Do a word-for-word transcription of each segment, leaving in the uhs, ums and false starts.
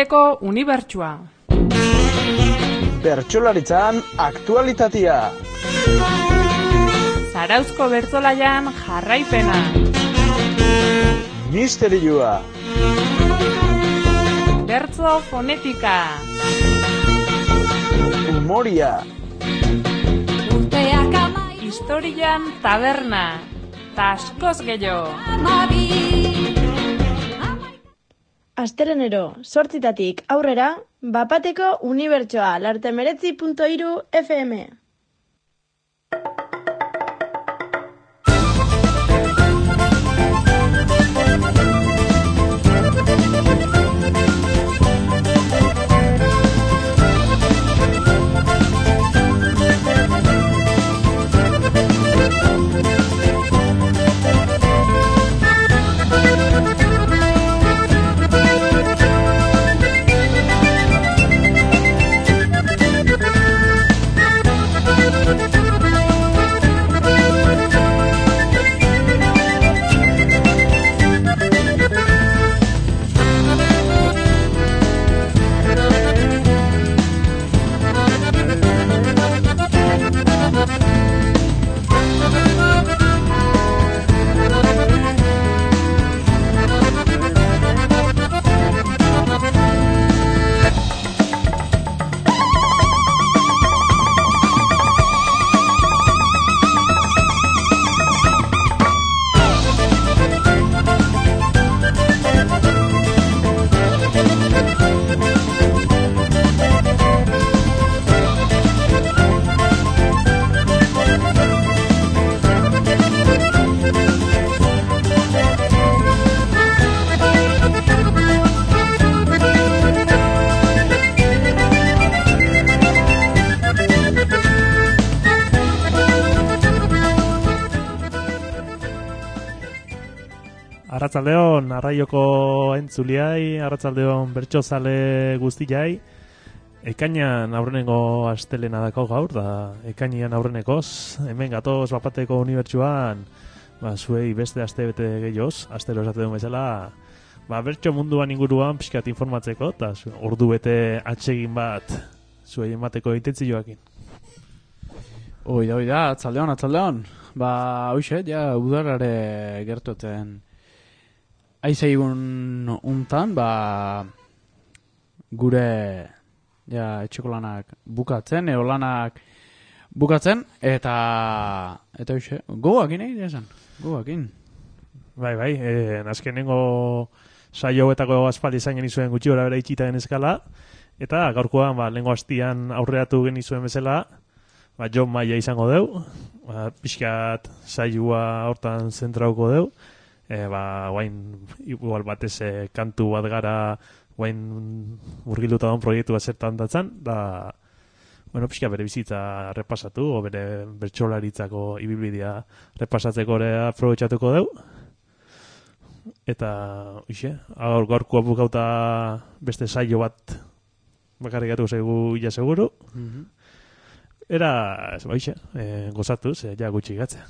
Eko unibertsua. Bertsolaritzan aktualitatea. Zarauzko bertsolaian jarraipena. Misterioa. Bertso fonetika. Humoria. Historian taberna. Ta askoz gehiago. Astelenero, sortzitatik aurrera, Bapateko unibertsoa, lartemeretzi punto hiru F M. Arratsaldeon arraioko entzuliai, arratsaldeon bertsozale guztiai. Ekainan aurrenengo astelena dako gaur, da ekainean aurrenekoz, hemen gatoz Bapateko unibertsuan, ba, zuei beste aste bete gehioz, astero esate duen bezala, ba, bertso munduan inguruan pixkat informatzeko, eta ordu bete atsegin bat zuei emateko itentzioakin. Oida, oida, atzaldeon, atzaldeon. Ba, hoxe, ja, udarare gertuten aizeigun untan, ba, gure ja, etxeko lanak bukatzen, eo lanak bukatzen, eta eta hoxe, gogoakin egin esan, gogoakin. Bai, bai, eh, azkenengo saio hauetako aspaldi izan genizuen gutxi gora bera itxita genezkala, eta gaurkoan, ba, lehengo hastian aurreatu genizuen bezala, ba, John Maia izango deu, ba, pixkat saioa hortan zentrauko deu, e, ba, guain, igual batez e, kantu bat gara, guain urgiluta daun proiektu bat zertan datzan, da, bueno, pixka bere bizitza repasatu, o bere bertsolaritzako ibilbidea repasatzeko ere aprobetxatuko deu. Eta, uixe, gaur gaurkoa bukauta beste saio bat bakarrikatu zaigu ila seguru. Mm-hmm. Era, ez baixe, e, gozatuz, e, ja gutxi gatzea.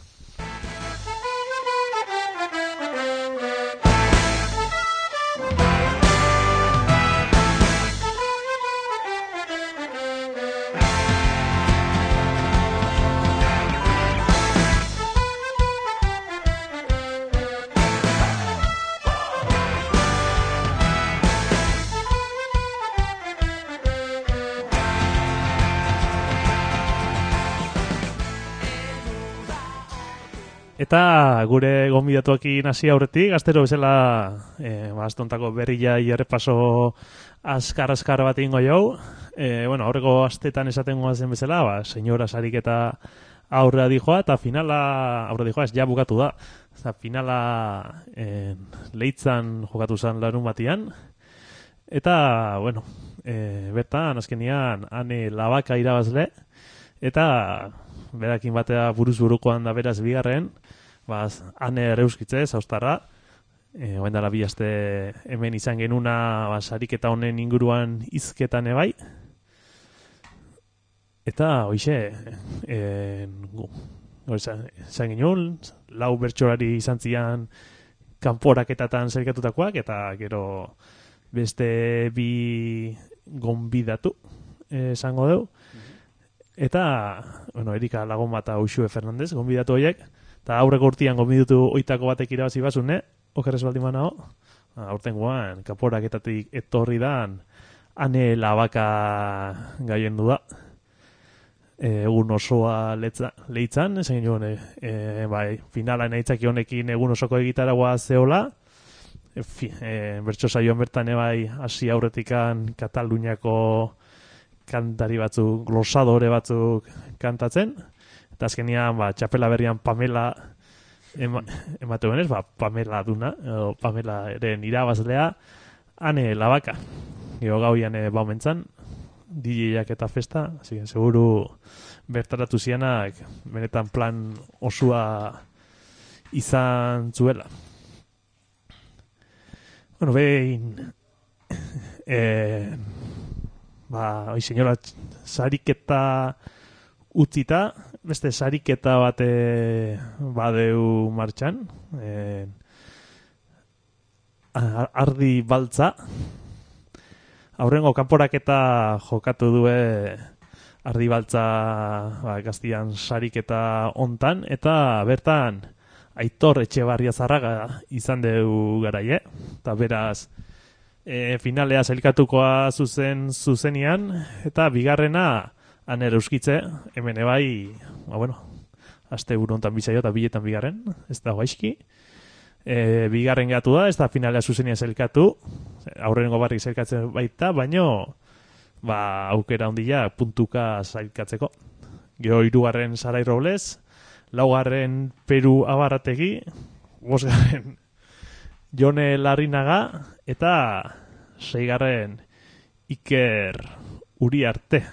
Eta gure gonbidatuakin hasi aurretik, astero bezala e, astontako berria errepaso azkar-azkar bat ingo jau. E, bueno, aurreko astetan esaten goazen bezala, ba, senyora sarik eta aurrea dijoa, eta finala, aurrea dijoa, ez ja bukatu da. Eta finala e, leitzan jokatu zen larun batian. Eta, bueno, e, bertan, azkenian, ane labaka irabazle, eta berakin batea buruz burukoan da beraz bigarren, baz, ane ereuskitze, zaustarra, e, oain dala bi aste hemen izan genuna baz, ariketa honen inguruan izketan ebai, eta hoixe, e, zan genuen, lau bertsolari izan zian kanporaketatan zerikatutakoak, eta gero beste bi gonbidatu eh, esango dugu. Eta, bueno, Erika lagun bat Uxue Fernandez, gonbidatu horiek, eta aurreko urtean gonbidatu oitako batek irabazi bazune, okerrez baldin manao, aurten guan, kaporaketatik etorri dan, ane labaka gaien du da. E, egun osoa letza, leitzan, esan joan, e, e, bai, finala nahitzaki honekin egun osoko egitaragoa zeola, e, fi, e, bertso saioan bertan ebai hasi aurretikan Kataluniako kantari batzuk, glosadore batzuk kantatzen, eta azkenian, ba, txapela berrian Pamela ema, emate benez, ba, Pamela duna, edo Pamela eren irabazlea, ane labaka. Gero gauian e, baumentzan, D J-ak eta festa, así que seguru bertaratu zianak benetan plan osua izan zuela. Bueno, behin eh, ba, oi señora, sariketa utzita, beste sariketa bate badeu martxan, eh, ardi baltza, aurrengo kanporaketa jokatu due ardibaltza ba, gaztian sariketa hontan, eta bertan Aitor Etxebarria Zarraga izan dugu garaie, eta beraz e, finalea sailkatukoa zuzen zuzenian, eta bigarrena aner euskitze, hemen ebai, ba bueno, aste buru hontan bizaio eta biletan bigarren, ez da gaizki. E, bigarren gatu da, ez da finalea zuzenia zelkatu, aurrengo barrik zelkatzen baita, baino ba, aukera handia puntuka zailkatzeko. Gero hirugarren Sarai Robles, laugarren Peru Abarrategi, bosgarren Jone Larrinaga, eta seigarren Iker Uriarte.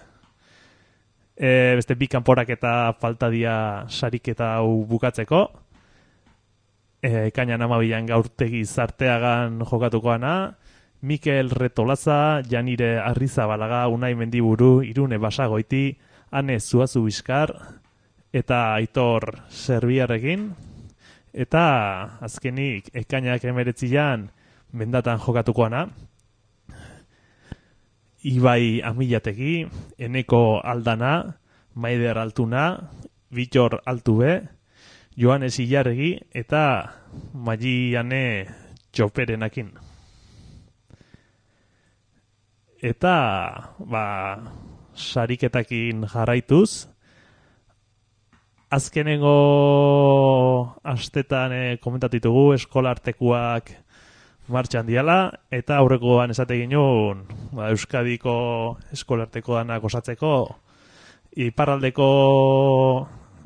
E, beste bi kanporaketa falta dia sariketa hau bukatzeko. E, Ekainan amabilan gaurtegi zarteagan jokatukoana, Mikel Retolaza, Janire Arrizabalaga, Unai Mendiburu, Irune Basagoiti, Ane Zuazu Bizkar, eta Aitor Serbiarrekin, eta azkenik Ekainak emeretzian mendatan jokatukoana, Ibai Amilategi, Eneko Aldana, Maider Altuna, Bitor Altube, Joanes Ilarregi eta Maiane Txoperenakin. Eta, ba, sariketakin jarraituz, azkenengo astetan e, komentatitugu eskolartekuak martxan diala, eta aurrekoan esate ginen, ba, Euskadiko eskolartekoanak osatzeko, iparraldeko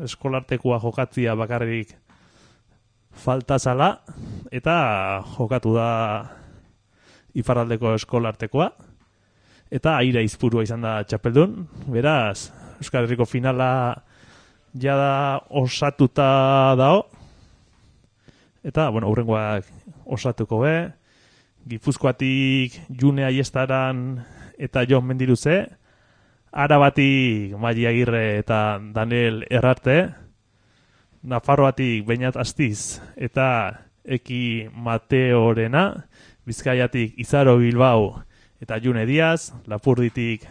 eskolartekoa jokatzia bakarrik falta zala, eta jokatu da iparraldeko eskolartekoa, eta aire izpurua izan da txapeldun. Beraz, Euskal Herriko finala jada osatuta dao, eta, bueno, hurrengoak osatuko be, Gipuzkoatik June Aiestaran eta Jon Mendiruze, Arabatik Mali Agirre eta Daniel Errarte, Nafarroatik Beñat Astiz eta Eki Mateorena, Bizkaiatik Izaro Bilbao eta June Diaz, Lapurditik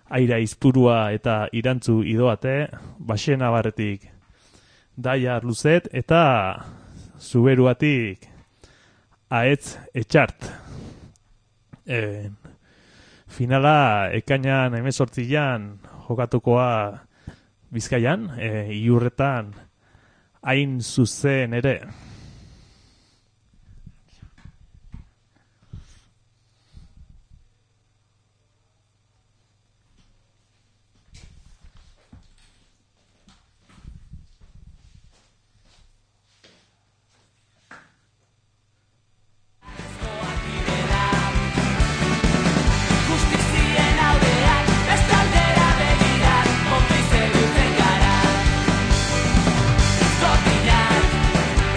Aira Izpurua eta Irantzu Idoate, Baxena Barretik Daia Luzet eta Zuberuatik Aetz Etxart. E, finala ekainan hemezortzian jokatukoa Bizkaian, e, Iurretan hain zuzen ere.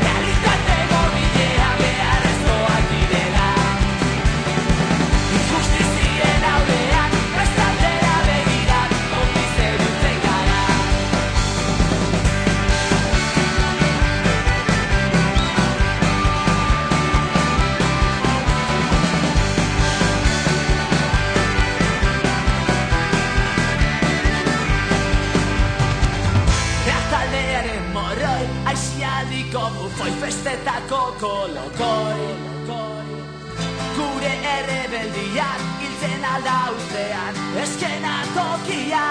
Realidad alda ustean eskena tokia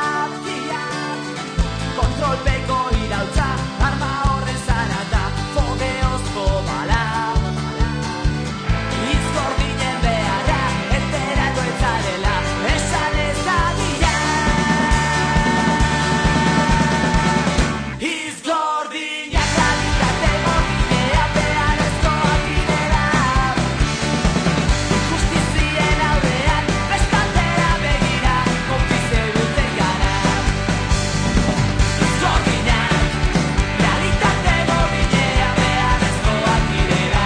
kontrolpeko irautza arma horren zarata fogeozko bala izgordinen beharra enteratu etzarela esan ez dadila izgordinak realitate gordinea beharrezkoak direla injustizien aurrean bestaldera begira konplize duten gara izgordinak realitate gordinea beharrezkoak direla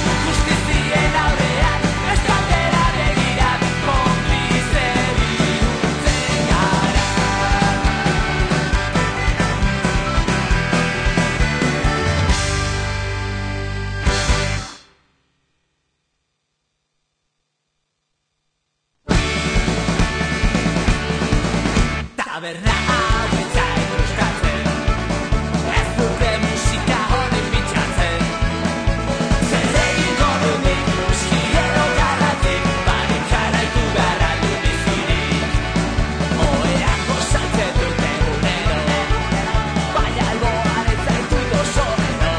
injustizien aurrean bestaldera begira konplize duten gara. Taberna hau ez zait gustatzen, ez dute musika honen bitxatzen. Zer egingo dunik, uskiero garratik, barik jarraitu gara du bizirik. Oheak gozatzen dute unero, baina alboan ez zaitut oso bero.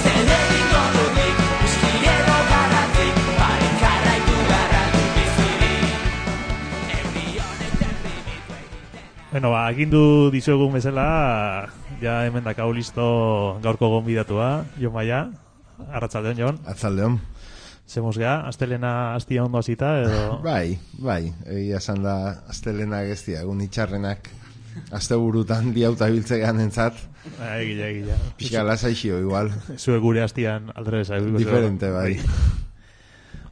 Zer egingo dunik, uskiero garratik, barik jarraitu gara du bizirik. Herri honek terrimitu egiten. Bueno, ba, agindu dizuegun bezala, ja hemen dakau listo gaurko gonbidatua, Jon Maia, arratsaldeon Jon, Atzaldeon. zemos gea, astelena astia ondo hasita, edo... Bai, bai, egia esan da astelena geztia, egun itxarrenak asteburutan diauta biltzegan entzat, Ah, egila, egila. pixka lasaixio igual, Zue gure astian aldrebesa. diferente bai.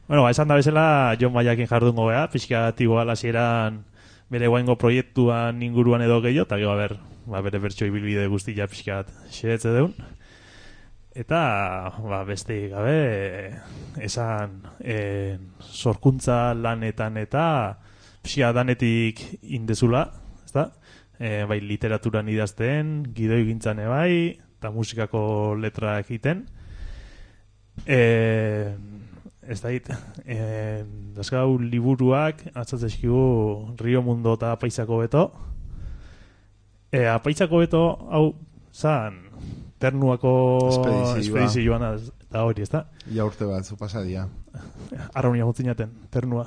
Bueno, ba, esan da bezala, Jon Maiakin jardungo gea, pixka igual hasieran bere guaingo proiektuan inguruan edo gehiago, eta gero, a ber, ba, bere bertso ibilbide guztia pixkat xeretze deun. Eta, ba, beste gabe, esan, e, sorkuntza lanetan eta pixka danetik indezula, ezta? E, bai, literaturan idazten, gidoi gintzane bai, eta musikako letra egiten. E, ez da hit, e, dazkau liburuak, atzatzezkigu Rio Mundo eta Apaizako Beto. E, Apaizako Beto, hau, zan, Ternuako Espedizioa. espedizioan eta hori, ez da? Ja urte batzu pasadia. Arraunia gutzinaten, Ternua.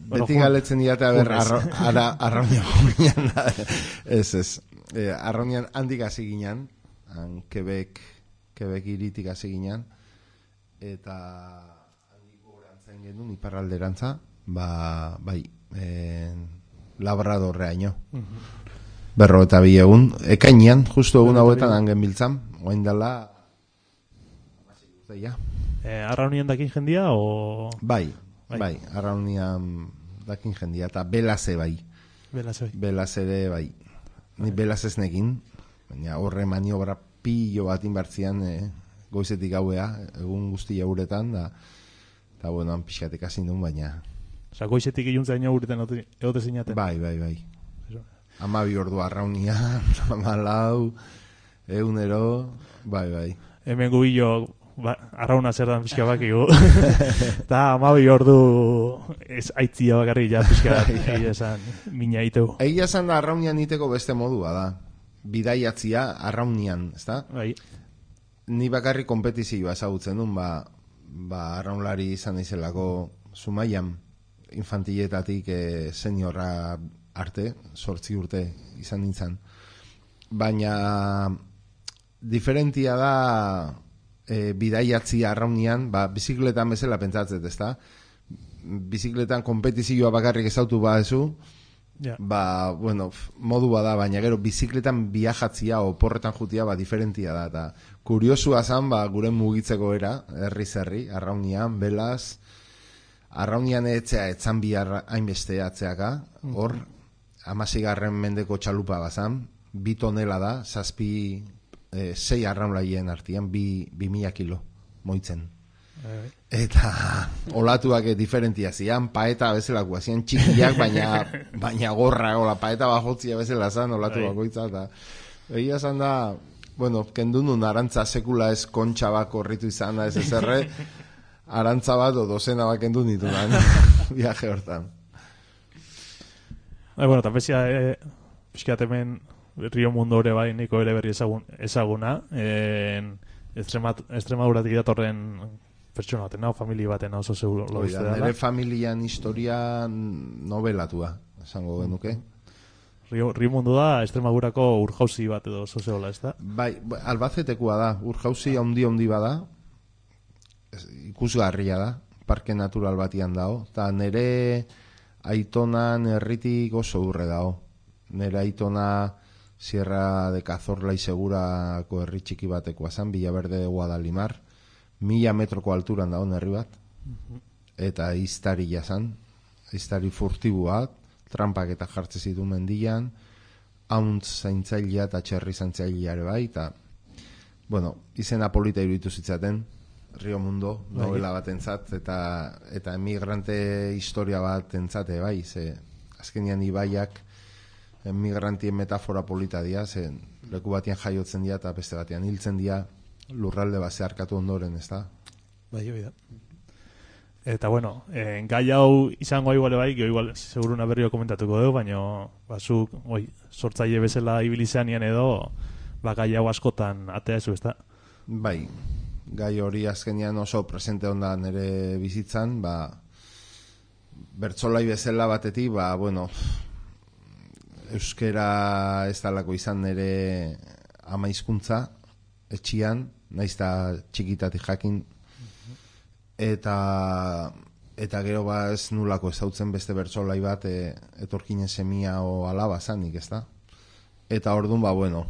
Bueno, Beti Juan- galetzen diate, a ber, Jumes. arro, ara, arraunia guinan, ez, ez. E, arraunian handik hasi ginen, han Quebec, Quebec iritik hasi ginen, eta handik gorantzen genuen, iparralderantza, ba, bai, e, Labradorreaino. Berro eta bi egun, ekainean, justu egun hauetan hangen biltzan, oain dela, ja. E, Arraunien dakin jendia, o... Bai, Bai. bai, arraunian dakin jendia, eta belaze bai, Bela zoi. belaz ere bai. Ni belaz ez nekin, baina horre maniobra pillo bat inbartzian e, goizetik gauea, egun guztia uretan, da, eta bueno, han pixkatek hasi duen, baina, Osa, goizetik iluntzaino urten egote zinaten. bai, bai, bai. Amabi ordu arraunia, amalau, egunero, bai, bai. Hemen gubillo, ba, arrauna zer dan pixka bakigu. Eta amabi ordu ez aitzia bakarrik ja pixka egia esan mina iteu. Egia esan da arraunian iteko beste modua da. Bidaiatzia arraunian, ezta? Bai, Ni bakarrik kompetizioa ezagutzen duen, ba, ba arraunlari izan izelako Zumaian, infantiletatik e, seniorra arte, sortzi urte izan nintzen. Baina diferentia da e, bidaiatzia arraunian, ba, bizikletan bezala pentsatzet, ezta? Bizikletan kompetizioa bakarrik ezautu badezu, ja. ba, bueno, f- modua da, baina gero bizikletan viajatzia oporretan jutia, ba, diferentia da, eta kuriosua zan, ba, gure mugitzeko era, herri zerri, arraunian, belaz, arraunian etzea etzan bihar hainbeste atzeaka, hor, amasigarren mendeko txalupa bazan, bi tonela da, zazpi, e, sei arraunlaien artian, bi, bi mila kilo, moitzen. Bai, Eta olatuak diferentia zian, paeta bezalakoa zian txikiak, baina, baina gorra, ola, paeta bajotzia bezala zan, olatu Bai. bakoitza, eta egia zan da, bueno, kendunun arantza sekula ez kontxa bako horritu izan da ez ezerre, arantza bat o dozena bat kendu nitunan viaje hortan. Bai, bueno, eta bezia, e, pixkat hemen Rio Mundo ere bai, niko ere berri ezagun, ezaguna, en, Extremaduratik datorren pertsona baten, no? Familia baten oso seguro lo Oida, dela. nire familian historia nobelatua, esango genuke. Rio, Rio Mundo da Extremadurako urjauzi bat edo oso zegoela, ez da? Bai, Albacetekoa da, urjauzi handi handi bada, ikusgarria da, parke natural batian dago, eta nire aitonan herritik oso urre dago. Nire aitona Sierra de Cazorla y Segurako herri txiki batekoa zan, Villaverde de Guadalimar, mila metroko alturan dago herri bat, eta iztari jazan, iztari furtibuak, trampak eta jartze zitu mendian, hauntz zaintzailea eta txerri zaintzailea ere bai, eta, bueno, izena polita iruditu zitzaten, Rio Mundo, novela bat entzat, eta, eta emigrante historia bat entzate bai, ze azkenian ibaiak emigrantien metafora polita dira, ze leku batian jaiotzen dira eta beste batian hiltzen dira lurralde bat zeharkatu ondoren, ez da? Bai, bai da. Eta bueno, eh, gai hau izango igual bai, gero igual seguruna berriro komentatuko dugu, baina bazuk, oi, sortzaile bezala ibilizeanian edo, ba gai hau askotan atea ez da? Bai, gai hori azkenean oso presente onda nire bizitzan, ba, bertsolai bezala batetik, ba, bueno, euskera ez dalako izan nire ama hizkuntza etxian, naizta txikitatik jakin, eta eta gero ba ez nulako ezautzen beste bertsolai bat e, etorkinen semia o alaba zanik, ez da? Eta orduan, ba, bueno,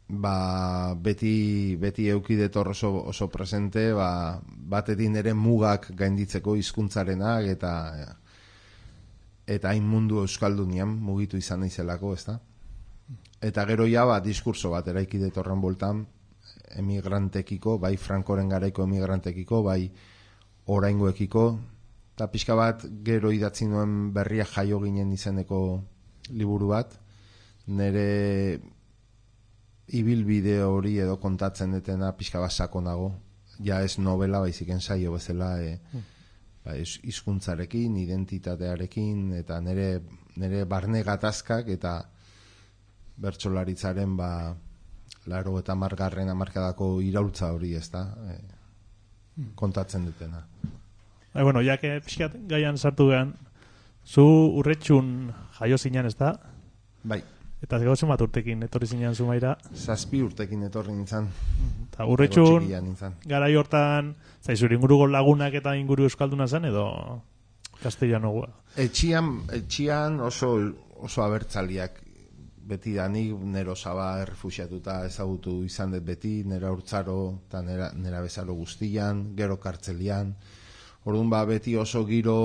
ba, beti, beti eukidetor oso, oso presente, ba, batetik nire mugak gainditzeko hizkuntzarenak eta eta hain mundu euskaldunian mugitu izan naizelako, ez da? Eta gero ja, ba, diskurso bat eraikidetorren boltan emigrantekiko, bai Frankoren garaiko emigrantekiko, bai oraingoekiko, eta pixka bat gero idatzi nuen berria jaio ginen izeneko liburu bat, nire ibilbide hori edo kontatzen detena pixka bat sakonago, ja ez novela, baizik ensaio bezala, e, ba, hizkuntzarekin, identitatearekin, eta nire, nire barne gatazkak eta bertsolaritzaren ba, laro eta margarren amarkadako iraultza hori, ez da, e, kontatzen dutena. Bai, bueno, ya que pixkat gaian sartu gehan, zu urretxun jaio zinean, ez da? Bai. Eta gero zenbat urtekin etorri zinean zumaira? Zazpi urtekin etorri nintzen. Eta urretxun nintzen. garai hortan, zaizur inguruko lagunak eta inguru euskalduna zen, edo castellano? Etxian, etxian oso, oso abertzaliak beti da, nik nero Saba errefuxiatuta ezagutu izan dut beti, nera urtzaro eta nera, nera bezaro guztian, gero kartzelian. Orduan ba beti oso giro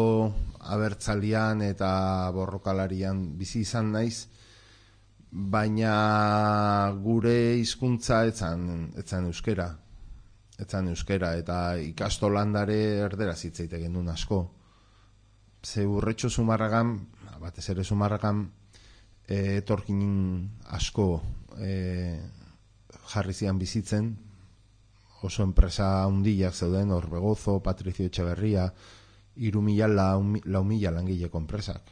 abertzalian eta borrokalarian bizi izan naiz, baina gure hizkuntza etzan, etzan euskera. Etzan euskera eta ikastolandare erderaz hitz egiten genuen asko. Ze urretxo Zumarragan, batez ere Zumarragan, E, etorkin asko e, jarri zian bizitzen, oso enpresa handiak zeuden, Orbegozo, Patricio Etxeberria, hiru mila lau mila langileko enpresak.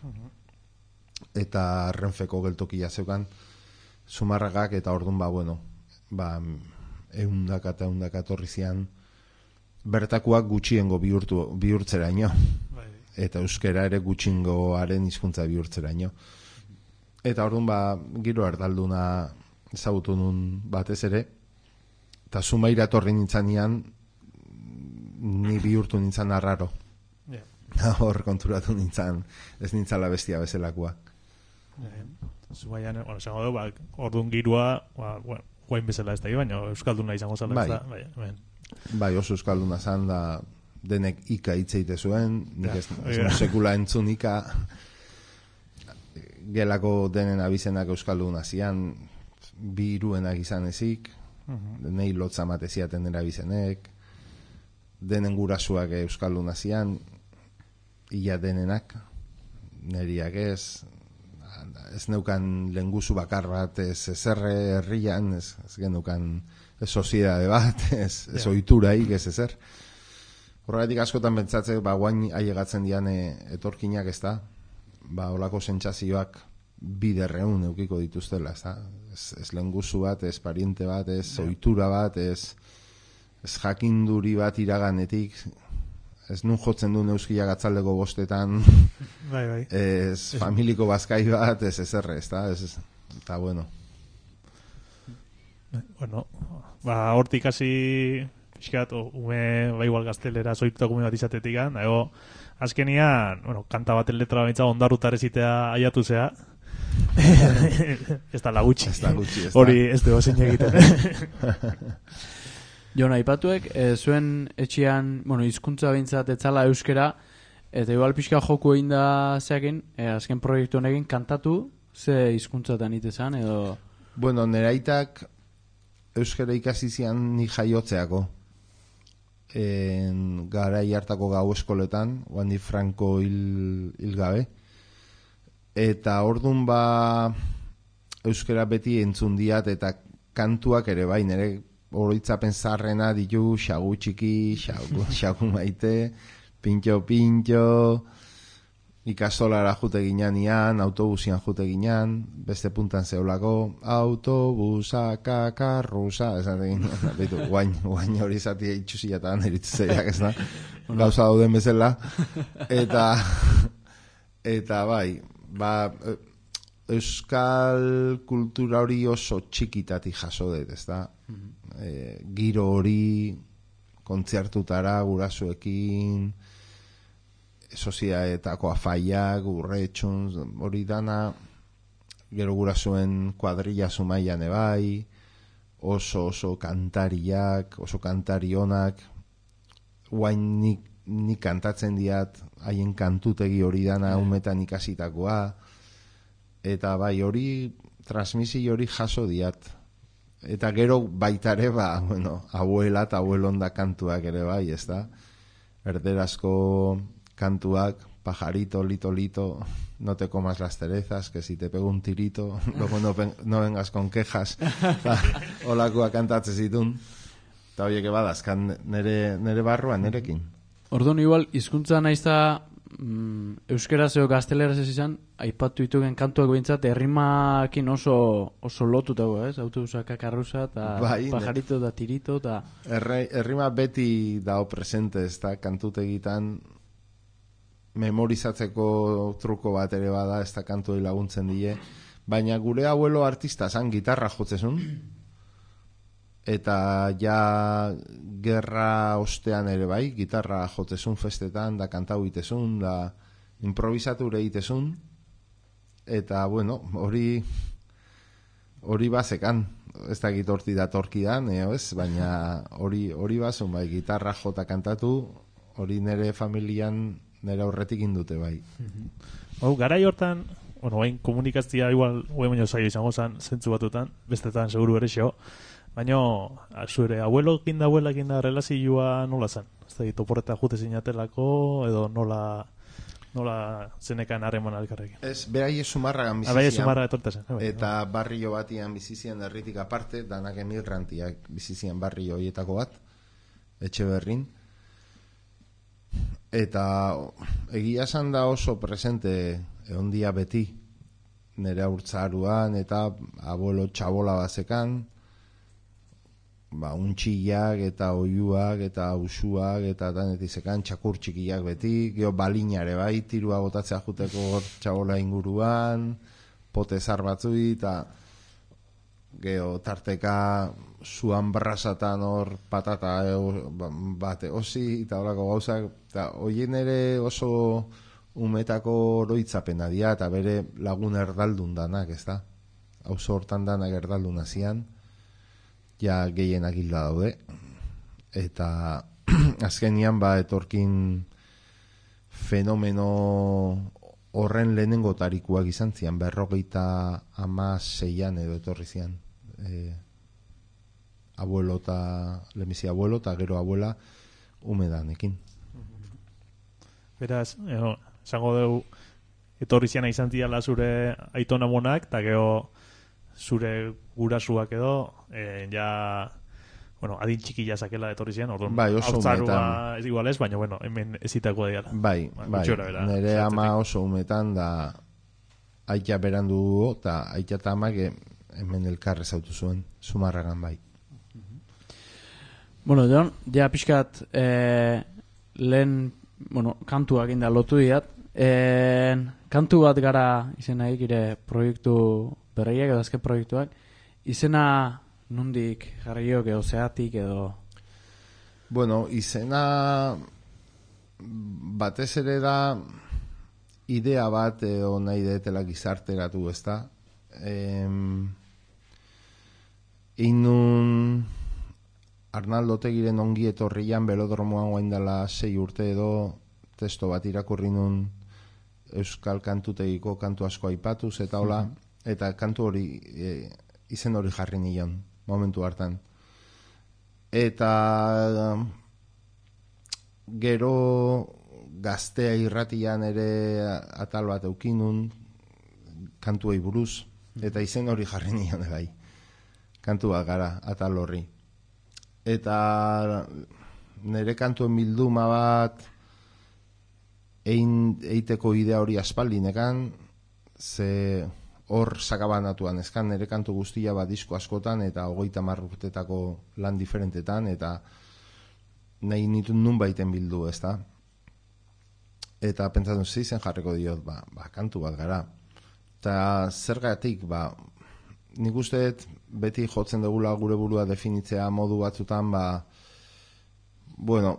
Eta Renfeko geltokia zeukan Zumarragak, eta orduan ba, bueno, ba, eundaka eta eundaka etorri zian bertakoak gutxiengo bihurtu, bihurtzeraino. Eta euskera ere gutxiengoaren hizkuntza bihurtzeraino. Eta orduan ba, giro erdalduna ezagutu nun batez ere, eta Zumaira etorri nintzanean, ni bihurtu nintzan arraro. Yeah. Hor konturatu nintzan, ez nintzala bestia bezalakoa. Yeah. Zumaian, bueno, esango du, ba, orduan girua, ba, bueno, guain bezala ez da, baina euskalduna izango zala bai. Ez da. Bai, bai. Bai, oso euskalduna zan da, denek ika hitzeite zuen, nik ez, ez yeah. sekula entzun ika, gelako denen abizenak euskalduna zian, bi hiruenak izan ezik, uh-huh. Nei lotza mateziaten dena abizenek, denen gurasuak euskalduna zian, ia denenak, neriak ez, ez neukan lenguzu bakar bat, ez ezerre herrian, ez, ez genukan ez soziedade bat, ez, ez yeah. oituraik, ez ezer. Horregatik askotan pentsatzek, ba, guain ailegatzen dian e, etorkinak, ez da? Ba, olako sentsazioak biderreun eukiko dituztela, ez da? Ez, ez lenguzu bat, ez pariente bat, ez ohitura bat, ez, ez jakinduri bat iraganetik, ez nun jotzen du neuskiak atzaldeko bostetan, Bai, bai. ez familiko bazkai bat, ez ezerre, ez da? Ez, eta bueno. Bueno, ba, hortik hasi pixkat, ume, ba, igual gaztelera zoitutak ume bat izatetik, dago, azkenian, bueno, kanta baten letra baitza ondarrutar ezitea aiatu zea. Ez da lagutxi. Ez da gutxi, ez da. Hori ez dugu zein egiten. Jon, aipatuek, e, zuen etxean, bueno, hizkuntza behintzat etzala euskera, eta igual pixka joku egin da zeakin, e, azken proiektu honekin kantatu, ze hizkuntzatan itezan, edo... Bueno, nire aitak euskara ikasi zian ni jaiotzeako. En, garai hartako gau eskoletan, Wandi Franco hil, hil gabe. Eta ordun ba euskara beti entzun diat eta kantuak ere bai, nire oroitzapen zarrena ditu xagu txiki, xagu, xagu maite, pintxo pintxo, ikastolara jute ginean, autobusian jute ginean, beste puntan zeulako, autobusa, kakarrusa, esan egin, behitu, guain, guain hori zati itxusiatan eritzeiak, ez da, gauza dauden bezala, eta, eta bai, ba, euskal kultura hori oso txikitatik jaso dut, ez da, e, giro hori, kontzertutara, gurasuekin, soziaetako afaiak, urretxun, hori dana, gero gurasuen kuadrilla zumaian ebai, oso oso kantariak, oso kantarionak, guain nik, nik kantatzen diat, haien kantutegi hori dana, umetan ikasitakoa, eta bai hori, transmisi hori jaso diat. Eta gero baitare, ba, bueno, abuela eta abuelonda kantuak ere bai, ez da? Erderazko cantuac, pajarito, lito, lito, no te comas las cerezas, que si te pego un tirito, luego no, no vengas con quejas. Olakoa kantatzen zitun. Eta horiek badazkan nere, nere barruan, nerekin. Orduan, igual, hizkuntza naizta mm, euskera zeo gazteleraz ez izan, aipatu ditugen kantuak behintzat, errimakin oso, oso lotutago, ez? Autobusa, kakarrusa, eta bai, pajarito, eta tirito, eta... Errima beti dao presente, ez da, kantutegitan memorizatzeko truko bat ere bada, ez da kantuei laguntzen die, baina gure abuelo artista zan gitarra jotzezun, eta ja gerra ostean ere bai, gitarra jotzezun festetan, da kantau itezun, da improvisature itezun, eta bueno, hori hori bazekan, ez da gitorti da torkidan, eo ez, baina hori hori bazun bai, gitarra jota kantatu, hori nere familian nire aurretik indute bai. Hau, garai hortan, bueno, hain komunikazioa igual, huen baino zaio izango zen, zentzu batutan, bestetan seguru ere xo, baina, zure, abuelo kinda, abuela kinda relazioa nola zen? Ez da, toporreta jute zinatelako, edo nola, nola zenekan harreman alkarrekin? Ez, berai sumarragan bizizian. Berai sumarra etorta zen. Eta barrio batian bizizian herritik aparte, danak emigrantiak bizizian barrio horietako bat, etxe berrin. Eta egia esan da oso presente egon dia beti nire haurtzaruan eta abuelo txabola bazekan, ba, untxillak eta oiuak eta usuak eta danetizekan txakur txikiak beti, geho balinare bai, tirua botatzea juteko txabola inguruan, potezar batzui eta geho tarteka zuan brasatan hor patata bate osi eta horako gauzak, eta hoien ere oso umetako oroitzapena dira eta bere lagun erdaldun danak, ez da? Auzo hortan danak erdaldun hazian, ja gehienak hilda daude, eta azkenian ba etorkin fenomeno horren lehenengo tarikuak izan zian, berrogeita ama seian edo etorri zian. E, abuelo eta lemisi abuelo eta gero abuela umedanekin. Beraz, eh, esango dugu etorri ziana izan ziala zure aitona monak, eta gero zure gurasuak edo, eh, ja bueno, adin txikila zakela etorri zian, orduan, Bai, oso haurtzarua umetan. ez igual ez, baina, bueno, hemen ezitakoa diala. Bai, Ba, bai, gutxi gorabehera, nire zehatzetik. ama oso umetan da aita berandu dugu, eta aita eta amak hemen elkarrez autu zuen, Zumarragan bai. Bueno, Jon, ja pixkat eh, lehen, bueno, kantuak inda lotu diat. Eh, kantu bat gara izenaik, ire proiektu berriak edo azken proiektuak. Izena nondik jarriok edo zeatik edo... Bueno, izena batez ere da idea bat edo nahi detela gizarteratu, ezta? Em, inun Arnaldo Otegiren ongi etorrian belodromoan guain dela sei urte edo testo bat irakurri nun euskal kantutegiko kantu asko aipatuz eta hola, eta kantu hori e, izen hori jarri nion momentu hartan. Eta gero gaztea irratian ere atal bat eukinun kantuei buruz, eta izen hori jarri nion bai. Kantu bat gara atal horri. Eta nire kantuen bilduma bat ein, eiteko idea hori aspaldinekan, ze hor sakabanatuan ezkan nire kantu guztia bat disko askotan eta hogeita hamar urtetako lan diferentetan, eta nahi nituen nun baiten bildu, ezta? Eta pentsatun zizen jarriko diot, ba, ba, kantu bat gara. Eta zergatik, ba, nik usteet beti jotzen dugula gure burua definitzea modu batzutan, ba, bueno,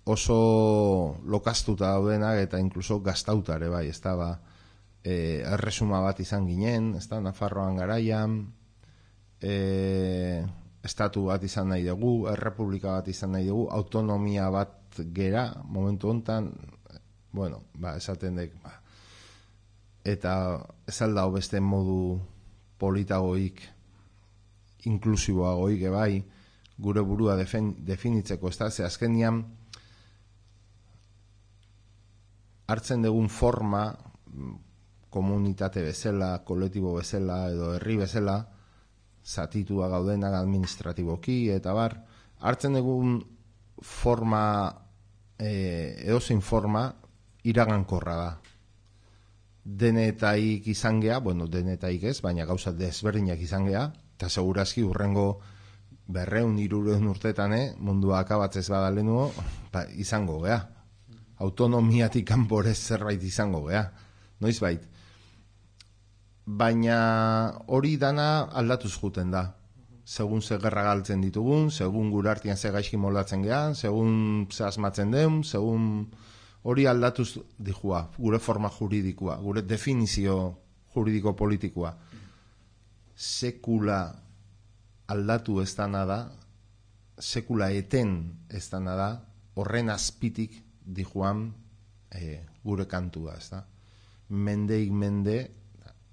oso lokaztuta daudenak eta inkluso gaztauta ere bai, ez da, ba, e, erresuma bat izan ginen, ez da, Nafarroan garaian, e, estatu bat izan nahi dugu, errepublika bat izan nahi dugu, autonomia bat gera, momentu hontan, bueno, ba, esaten dek, ba, eta ez aldao beste modu politagoik, inklusiboagoik ebai, gure burua defen, definitzeko, ez da, ze azkenian hartzen dugun forma, komunitate bezala, kolektibo bezala, edo herri bezala, zatitua gaudenak administratiboki, eta bar, hartzen dugun forma, e, edozein forma, iragankorra da. Denetaik izan gea, bueno, denetaik ez, baina gauza desberdinak izan gea, eta segurazki urrengo berreun, irureun urtetan, eh, mundua akabatzez badalenuo, ba, izango gea. Autonomiatik kanporez zerbait izango gea. Noiz bait. Baina hori dana aldatuz juten da. Segun ze gerra galtzen ditugun, segun gure artian ze gaizki moldatzen gean, segun ze asmatzen den, segun hori aldatuz dijua, gure forma juridikoa, gure definizio juridiko-politikoa. Sekula aldatu ez dana da, sekula eten ez dana da, horren azpitik dijuan e, gure kantua, ez da. Mendeik mende,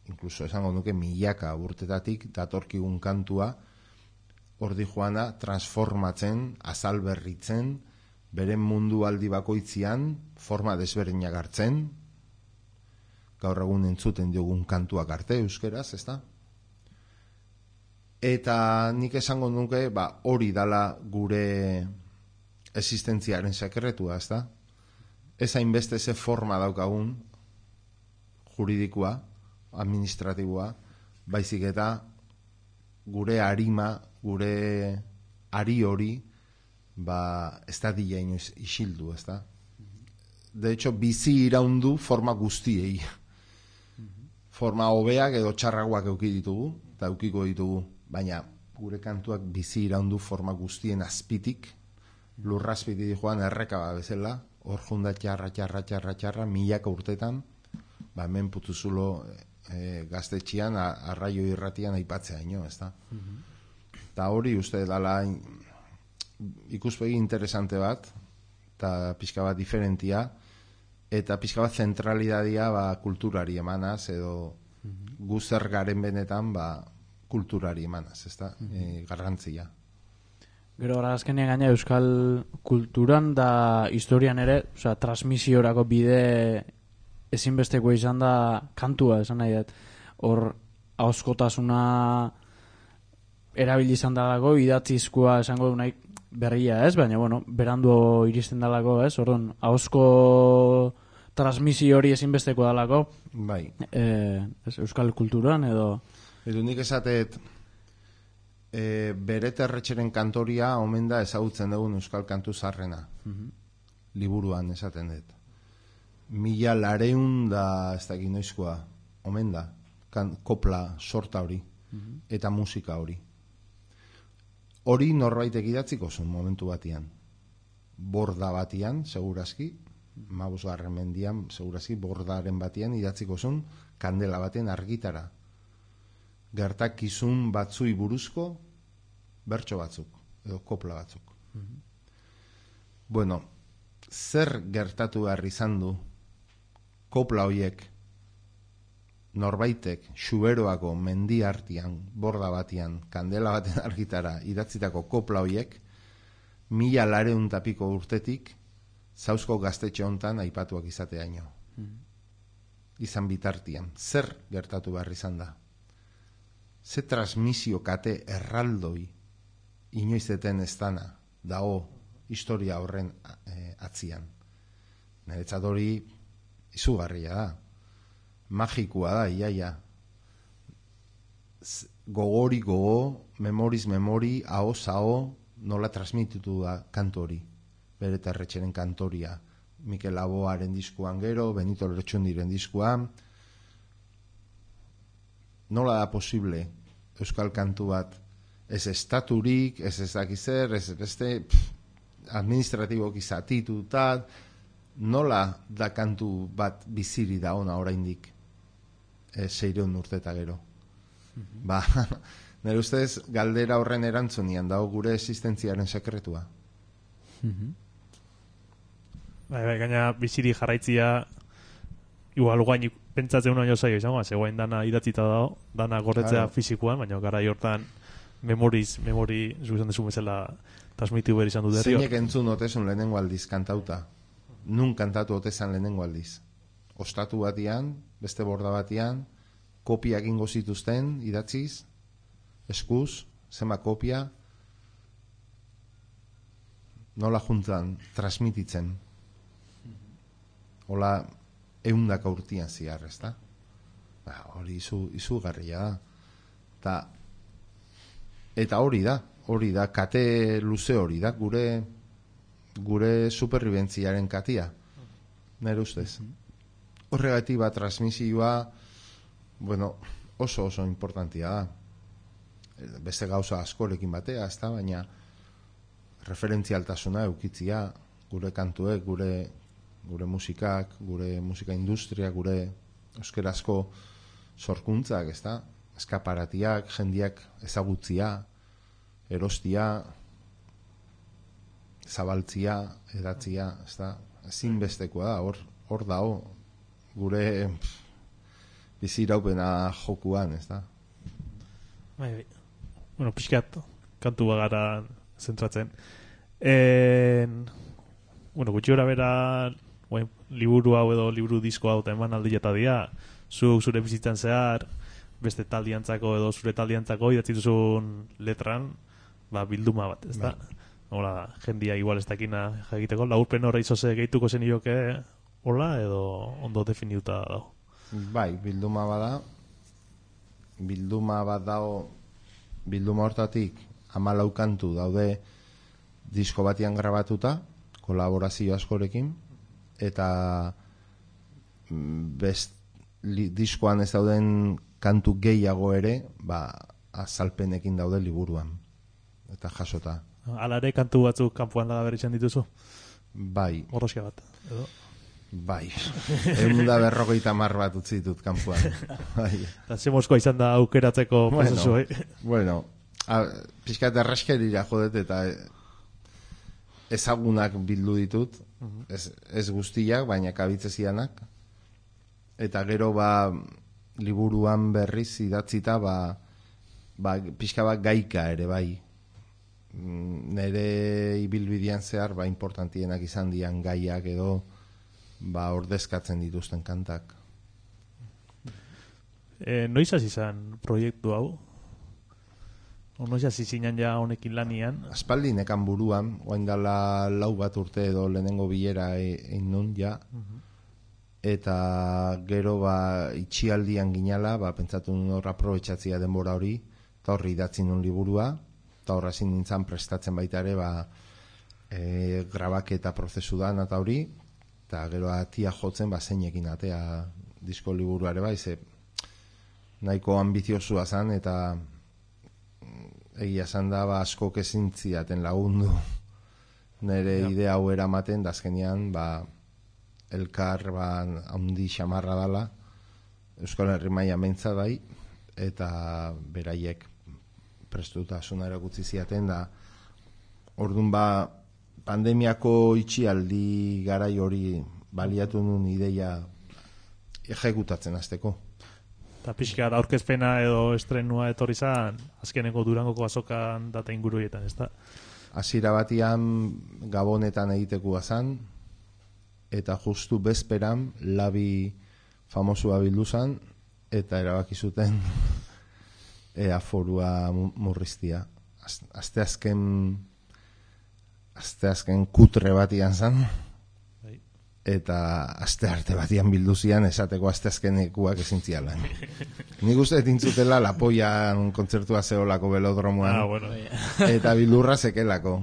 inkluso esango nuke milaka urtetatik datorkigun kantua, hor dijuana transformatzen, azalberritzen, beren mundu aldi bakoitzian forma desberdinak hartzen, gaur egun entzuten diogun kantuak arte euskeraz, ezta? Eta nik esango nuke, ba, hori dala gure existentziaren sekretua, ezta? Ez hainbeste ze forma daukagun juridikoa, administratiboa, baizik eta gure arima, gure ari hori, ba, ez da dila inoiz isildu, ez da? De hecho, bizi iraundu forma guztiei. Forma hobeak edo txarragoak euki ditugu, eta eukiko ditugu, baina gure kantuak bizi iraundu forma guztien azpitik, lurrazpitik joan errekaba bezala, hor junda txarra, txarra, txarra, txarra, milaka urtetan, ba, hemen putuzulo e, gaztetxian, arraio irratian aipatzea ino, ez da? Eta hori uste dala ikuspegi interesante bat, eta pixka bat diferentia, eta pixka bat zentralidadia ba, kulturari emanaz, edo guzer garen benetan ba, kulturari emanaz, ez da, e, garrantzia. Gero gara azkenean gaina euskal kulturan da historian ere, osea, transmisiorako bide ezinbesteko izan da kantua, esan nahi dut. Hor, ahozkotasuna erabili izan dalako, idatzizkoa esango du nahi berria, ez? Baina, bueno, berandu iristen dalako, ez? Orduan, ahozko transmisio hori ezinbesteko dalako, Bai. eh, ez, euskal kulturan edo... Edo nik esatet, e, bere terretxeren kantoria omen da ezagutzen dugun euskal kantu zarrena. Liburuan esaten dut. Mila lareun da ez dakit noizkoa, omen da, kan, kopla sorta hori, eta musika hori. Hori norbaitek idatziko zuen momentu batian. Borda batian, segurazki, mabosgarren mendian, segurazki, bordaren batian idatziko zuen, kandela baten argitara. Gertakizun batzui buruzko bertso batzuk, edo kopla batzuk. Bueno, zer gertatu behar izan du kopla hoiek norbaitek xuberoako mendi artian, borda batian, kandela baten argitara idatzitako kopla hoiek mila lareun tapiko urtetik zauzko gaztetxe hontan aipatuak izateaino. Izan bitartian, zer gertatu behar izan da? Ze transmisio kate erraldoi inoizeten ez dana dago historia horren e, atzian. Niretzat hori izugarria da. Magikoa da, iaia. Gogori gogo, memoriz memori, ahoz aho, nola transmititu da kantu hori. Bere terretxeren kantoria. Mikel Laboaren diskuan gero, Benito Lertxundiren diskuan. Nola da posible euskal kantu bat ez estaturik, ez ez dakizer, ez beste administratibok izatituta, nola da kantu bat biziri da ona oraindik e, seireun urteta gero. Ba, nire ustez galdera horren erantzunian dago gure existentziaren sekretua. Bai, bai, gaina biziri jarraitzia igual guain pentsatzen unaino zaio izango, zegoen dana idatzita dago, dana gorretzea Claro. fizikoan, baina garai hortan memoriz, memori, zuzan desu bezala transmitiu behar izan du derri. Zeinek entzun otesun lehenengo aldiz kantauta. Nun kantatu otezan lehenengo aldiz. Ostatu batian, beste borda batian, kopiak ingo zituzten, idatziz, eskuz, zema kopia, nola juntan, transmititzen. Hola, eundaka urtian ziar, ez da? Ba, hori izu, izugarria da. Ta, eta hori da, hori da, kate luze hori da, gure gure superribentziaren katia. Nere ustez. Horregatik bat transmisioa, bueno, oso oso importantia da. Beste gauza askorekin batea, ez da, baina referentzialtasuna eukitzia, gure kantuek, gure gure musikak, gure musika industria, gure euskerazko sorkuntzak, ez da? Eskaparatiak, jendiak ezagutzia, erostia, zabaltzia, edatzia, ez da? Ezinbestekoa da, hor, hor dago, gure pff, biziraupena jokuan, ez da? Bai, bai. Bueno, pixkat, kantu bagara zentratzen. En, bueno, gutxi gora bera, Oen, liburu hau edo liburu disko hau eta eman aldieta dira, zuk zure bizitzan zehar, beste taldiantzako edo zure taldiantzako idatzi duzun letran, ba, bilduma bat, ez da? Hola, jendia igual ez dakina egiteko, laurpen horra izoze gehituko zen ioke, hola, edo ondo definiuta dago. Bai, bilduma bada, bilduma bat dago, bilduma hortatik hamalau kantu daude disko batian grabatuta, kolaborazio askorekin, eta best, li, diskoan ez dauden kantu gehiago ere, ba, azalpenekin daude liburuan, eta jasota. Alare kantu batzuk kanpoan laga berritzen dituzu? Bai. Gorrosia bat, edo? Bai. Egun da berrogeita mar bat utzi ditut kanpoan. Bai. Eta ze moskoa izan da aukeratzeko prozesu, Bueno, eh? bueno a, pixkat erraskerira jodet eta ezagunak bildu ditut, ez, ez guztiak, baina kabitze zidanak, eta gero ba liburuan berriz idatzita ba, ba pixka bat gaika ere bai. Nere ibilbidean zehar ba importantienak izan dian gaiak edo ba ordezkatzen dituzten kantak. E, noiz hasi izan proiektu hau? Ono ja zizinan ja honekin lanian. Aspaldi nekan buruan, oain dala lau bat urte edo lehenengo bilera egin nun ja. Eta gero ba itxialdian ginala, ba pentsatu nun hor aprobetxatzia denbora hori, eta horri idatzi nun liburua, eta horra zin nintzen prestatzen baita ere, ba e, grabaketa prozesu da eta hori, eta gero atia jotzen ba zeinekin atea disko liburuare bai, ze nahiko ambiziosua zan, eta egia esan da ba, asko kezintziaten lagundu nire ja. idea hau eramaten, da azkenean ba, elkar ba, handi xamarra dala Euskal Herri maila mentza bai, eta beraiek prestutasuna erakutsi ziaten, da ordun ba pandemiako itxialdi garai hori baliatu nun ideia ejekutatzen hasteko. Eta pixka aurkezpena edo estrenua etorri zan, azkeneko Durangoko azokan data inguruetan, ez da? Hasiera batian Gabonetan egitekoa zan, eta justu bezperan labi famosua bildu zan, eta erabaki zuten ea forua murriztia. Azte azken azte azken kutre batian zan, eta aste arte batian bildu zian esateko aste azkenekuak ezin zialan. Nik uste dintzutela Lapoian kontzertua zeolako velodromoan, ah, bueno. eta bildurra zekelako.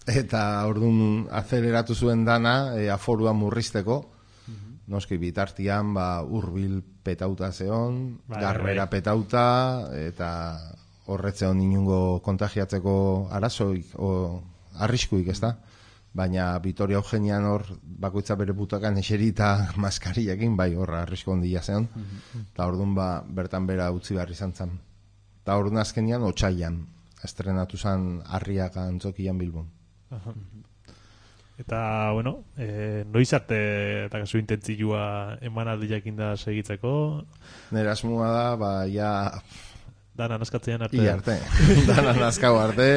Eta orduan azeleratu zuen dana e, aforua murrizteko, noski bitartian ba, Urbil petauta zeon, bai, Garbera bai. petauta, eta horretzeon inungo kontagiatzeko arazoik, o arriskuik, ez da? Baina Vitoria Eugenian hor bakoitza bere butakan eserita maskariakin, bai horra arrisko ondia zeon, eta orduan ba, bertan bera utzi behar izan zen. Eta orduan azkenian otsailan estrenatu zen Arriaga Antzokian Bilbon. Aha. Eta, bueno, e, noiz arte eta kasu intentzioa emanaldiakin da segitzeko? Nera asmoa da, ba, ja... Dana naskatzean arte. I arte. Dana naskau arte.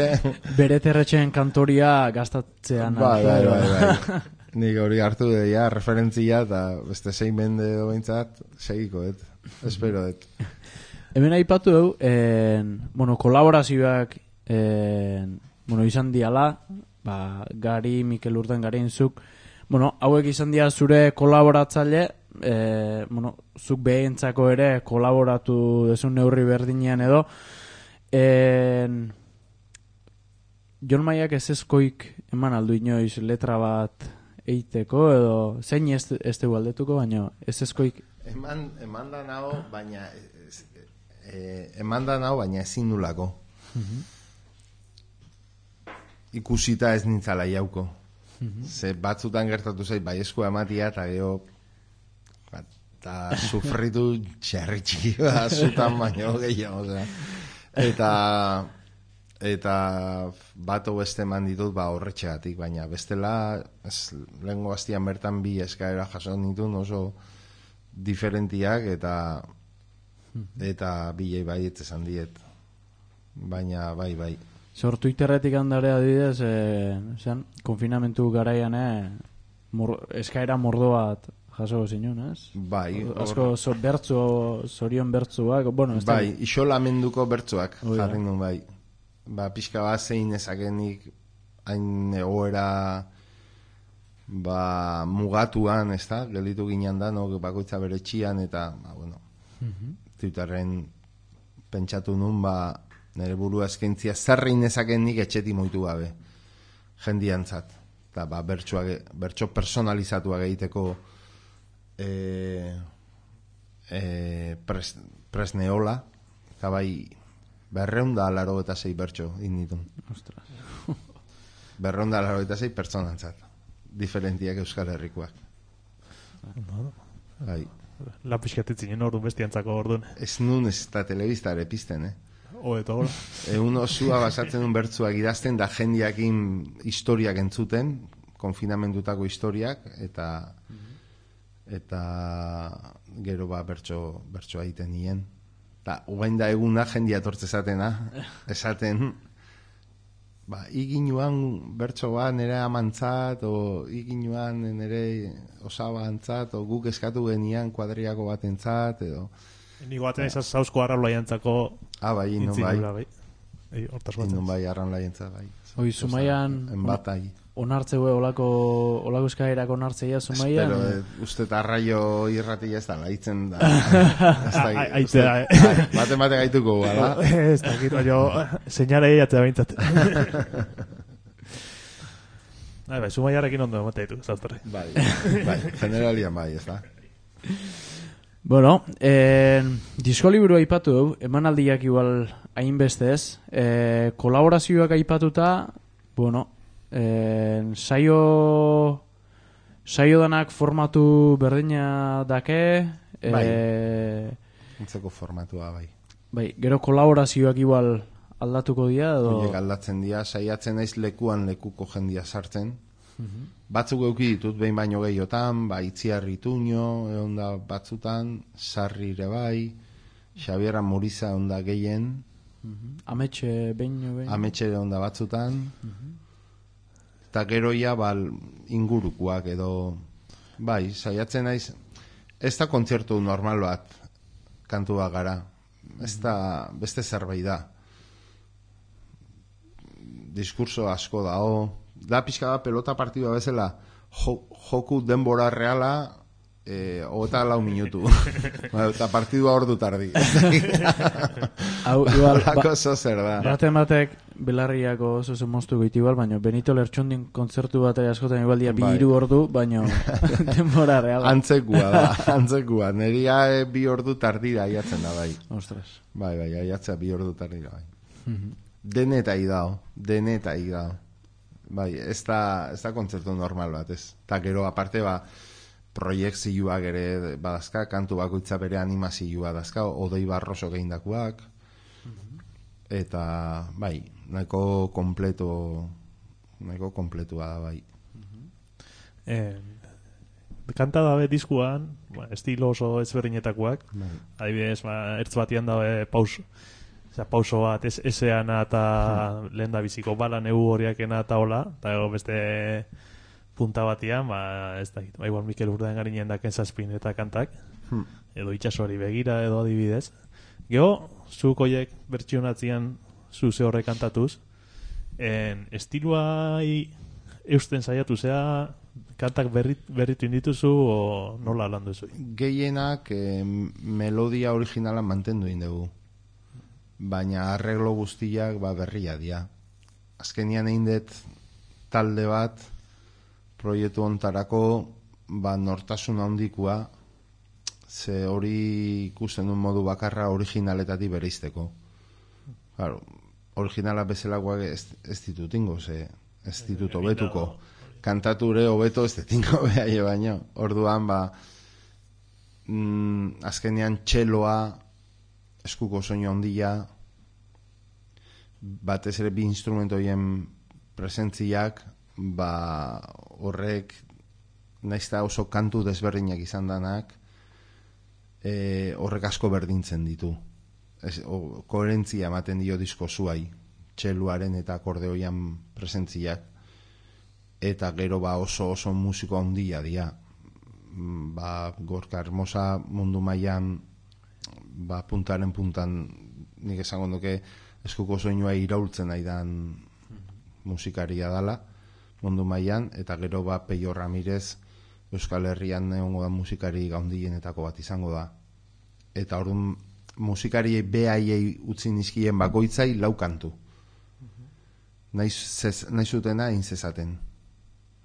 Bere terretxeen kantoria gastatzean bai, arte. Bai, bai, bai. Nik hori hartu de ja, referentzia, eta beste zein mende dointzat, segiko, et. Espero, et. Hemen aipatu du, en, bueno, kolaborazioak en, bueno, izan diala, ba, Gari, Mikel Urden, Garinzuk, bueno, hauek izan dia zure kolaboratzaile, e, bueno, zuk behentzako ere kolaboratu desun neurri berdinean edo, en, Jon Maiak ez ezkoik eman aldu inoiz letra bat eiteko edo zein ez, ez dugu aldetuko, baina ez ezkoik eman, eman da nao, baina e, eman da nao, baina ezin nulako. Uh-huh. Ikusita ez nintzala jauko. Uh-huh. Ze batzutan gertatu zait bai eskua ematia eta geho eta sufritu txerri txiki bat zutan baino gehiago. Oza. Eta eta bat beste eman ditut ba horretxegatik, baina bestela ez, lehengo bastian bertan bi eskaera jaso nituen oso diferentiak eta eta bilei baiet esan diet, baina bai bai Zor Twitterretik handare adidez eh, zen, konfinamentu garaian eh, mor, eskaera mordo bat jaso zinun, ez? Bai. Asko so, bertzu, zorion bertzuak, bueno, ez bai, isolamenduko bertzuak oh, jarri nun bai. Ba, pixka bat zein ezakenik hain egoera ba, mugatuan, ez da, gelditu ginen da, no, bakoitza bere txian, eta, ba, bueno, uh-huh. Twitterren pentsatu nun, ba, nire burua eskaintzia zerrein ezakenik etxeti moitu gabe, jendiantzat, eta, ba, bertsuak, bertso personalizatuak egiteko e, e, pres, presneola, eta bai, berreunda laro eta zei bertso inditun. Ostras. Berreunda laro eta zei pertsonantzat. Diferentiak Euskal Herrikoak. Bai. La pixkatitzinen orduan bestiantzako orduan. Ez nun ez eta telebiztare pizten, eh? O, eta hor. Egun osua basatzen duen bertzuak idazten da jendiakin historiak entzuten, konfinamendutako historiak, eta eta gero ba bertso, bertsoa egiten nien. Eta ugain da eguna jendia tortze esatena, esaten, ba, iginuan bertso bat nire amantzat, o iginuan nire osaba antzat, o guk eskatu genian kuadriako batentzat, edo... Nigo baten esaz zauzko arrabla jantzako... Ah, bai, no, bai. bai. Ei, hortaz Indun batzen. bai arran laientza bai. Oi, Zumaian Enbatai. onartzeue olako olako eskairak onartzeia Zumaian. Espero, eh, uste arraio irratia ez da, laitzen da. Ez da, Ai- uste- aitzea, eh. Ai, Bate-bate gaituko, bala? Ez dakit, baina seinale eiatzea behintzat. Bai, bai, Zumaiarekin ondo emate ditu, zauztarri. Bai, bai, generalian bai, ez da. Bueno, eh, disko liburu aipatu du, emanaldiak igual hainbestez, eh, kolaborazioak aipatuta, bueno, eh, saio saio danak formatu berdina dake, eh, Entzeko formatua bai. bai, gero kolaborazioak igual aldatuko dira edo Horiek aldatzen dira, saiatzen naiz lekuan lekuko jendia sartzen. Batzuk euki ditut behin baino gehiotan, ba, Itziarri Tuño, egon da batzutan, Sarri ere bai, Xabier Amuriza egon da gehien, ametxe behin behin. Ametxe egon da batzutan, eta geroia bal, ingurukoak edo, bai, saiatzen naiz, ez da kontzertu normal bat kantua gara, ez da beste zerbait da. Diskurso asko dao, da pixka da pelota partidua bezala jo, joku denbora reala eh, hogeta lau minutu ba, eta partidua ordu tardi Hau, igual, Horrelako zo zer da baten batek belarriako oso zen moztu goitu igual, baina Benito Lertxundin kontzertu bat askotan igual dia bi Bai. hiru ordu, baina denbora reala. antzekua da, antzekua neria eh, bi ordu tardira aiatzen da bai Ostras. bai, bai, aiatzea bi ordu tardira bai denetai dao, denetai dao bai, ez da, ez da kontzertu normal bat, ez. Eta gero, aparte, ba, proiektzioak ere badazka, kantu bakoitza bere animazioa dazka, Odei Barroso gehindakoak, eta, bai, nahiko kompleto, nahiko kompletua da, bai. Eh, kanta dabe diskuan, ba, estilo oso ezberdinetakoak, Bai. adibidez, ba, ertz batian dabe paus, Osa, pauso bat, ez, eseana eta lehen da biziko bala negu horiakena eta hola, eta gero beste punta batian, ba, ez da, ba, igual Mikel Urdaen garinen daken zazpin eta kantak, Hmm. edo itxasori begira, edo adibidez. Gero, zuk oiek bertsionatzian zu ze horrek kantatuz, en, estiluai eusten saiatu zea, kantak berrit, berritu indituzu, o nola lan duzu? Gehienak eh, melodia originala mantendu indegu. Baina arreglo guztiak ba, berria dira. Azkenian egin dut talde bat proiektu ontarako ba, nortasun handikoa, ze hori ikusten duen modu bakarra originaletatik bereizteko. Claro, originala bezalakoak ez, ez ditut ingo, ze ez ditut hobetuko. Kantature hobeto ez ditingo behaie baino. Orduan, ba, mm, azkenean txeloa, eskuko soinu handia, batez ere bi instrumentu horien presentziak, ba, horrek naizta oso kantu desberdinak izan danak, e, horrek asko berdintzen ditu. Ez, o, koherentzia ematen dio disko zuai, txeluaren eta akordeoian presentziak, eta gero ba oso oso musiko handia dira. Ba, Gorka Hermosa mundu mailan ba, puntaren puntan nik esango nuke eskuko soinua iraultzen aidan musikaria dala mundu mailan, eta gero ba Peio Ramirez Euskal Herrian egongo da musikari gaundienetako bat izango da. Eta orduan musikari behaiei utzi nizkien bakoitzai lau kantu. Naiz, zez, naizutena egin zezaten.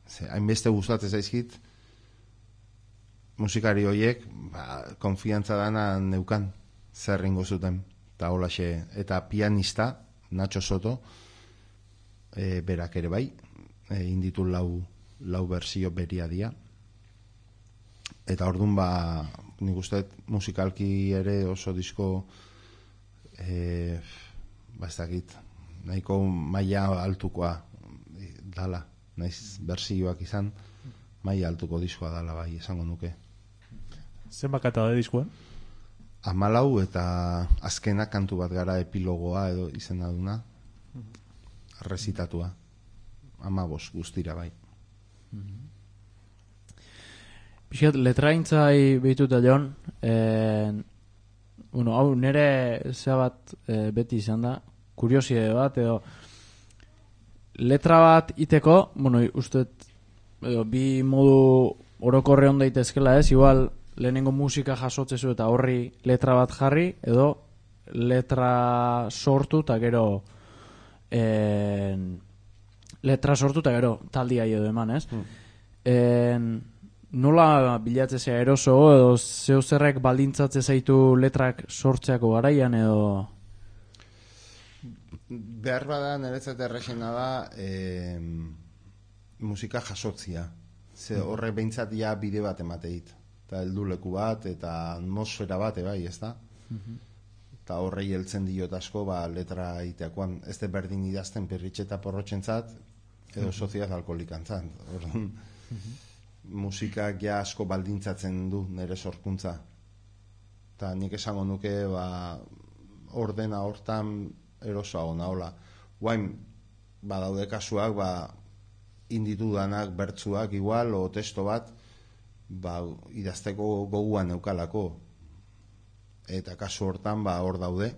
Ze, hainbeste gustatzen zaizkit musikari horiek ba, konfiantza dana neukan zer ingo zuten eta holaxe, eta pianista Nacho Soto e, berak ere bai e, inditu lau, lau berzio beria dia, eta orduan ba nik uste musikalki ere oso disko e, ba ez dakit nahiko maila altukoa dala, naiz berzioak izan maila altuko diskoa dala bai esango nuke. Zenbat kanta da diskuan? Hamalau eta azkena kantu bat gara epilogoa edo izena duna rezitatua. Hamabos guztira bai. Pixat, letraintzai behituta jon, eh, bueno, hau nire zea bat eh, beti izan da, kuriosidade bat, edo letra bat iteko, bueno, uste edo, bi modu orokorre on daitezkela ez, igual lehenengo musika jasotzezu eta horri letra bat jarri, edo letra sortu eta gero en, letra sortu eta gero taldia edo eman, ez? Mm. En, nola bilatzea eroso edo zeu zerrek baldintzatze zaitu letrak sortzeako garaian edo... Behar bada niretzat errexena da eh, musika jasotzia. Ze horrek behintzat ja bide bat emateit. Eta helduleku bat eta atmosfera bat bai, ez da? Eta horrei heltzen diot asko ba, letra iteakoan. Ez de berdin idazten perritxeta porrotxentzat edo soziaz alkoholikantzat. Orduan, musikak ja asko baldintzatzen du nire sorkuntza. Eta nik esango nuke ba, ordena hortan erosoa ona hola. Guain, badaude kasuak, ba, inditudanak bertzuak igual, o testo bat, ba, idazteko goguan neukalako. Eta kasu hortan, ba, hor daude,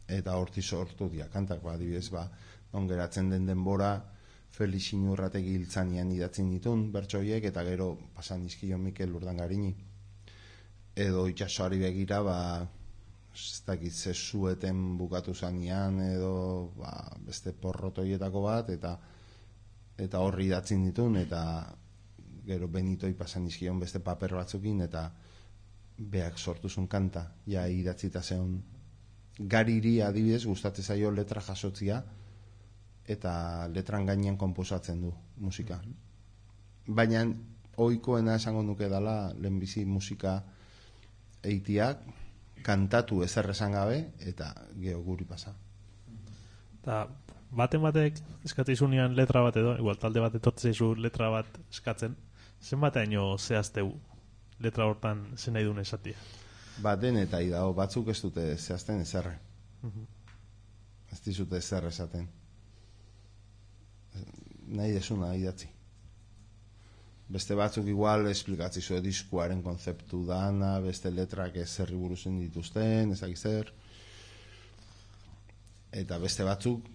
eta horti sortu dira kantak, ba, adibidez, ba, non geratzen den denbora, Felix Inurrategi hiltzanian idatzen ditun, bertsoiek, eta gero pasan dizkion Mikel Urdangarini. Edo itxasoari begira, ba, ez dakit zezueten bukatu zanean, edo ba, beste porrotoietako bat, eta eta horri idatzen ditun, eta gero Benitoi pasan dizkion beste paper batzukin, eta beak sortuzun kanta, ja idatzita zeon. Gariri adibidez gustatzen zaio letra jasotzia, eta letran gainean konposatzen du musika. Baina ohikoena esango nuke dela lehenbizi musika eitiak, kantatu ezer esan gabe, eta geho guri pasa. Eta baten batek eskatzizunean letra bat edo, igual talde bat etortzeizu letra bat eskatzen, zenbataino zehazteu letra hortan zen nahi duen esatia? Baten eta idao, batzuk ez dute zehazten ezerre. Uh-huh. Ez dizute ezer esaten. Nahi desuna idatzi. Beste batzuk igual esplikatzizu diskuaren konzeptu dana, beste letrak ez zerri buruzen dituzten, ezak zer. Eta beste batzuk,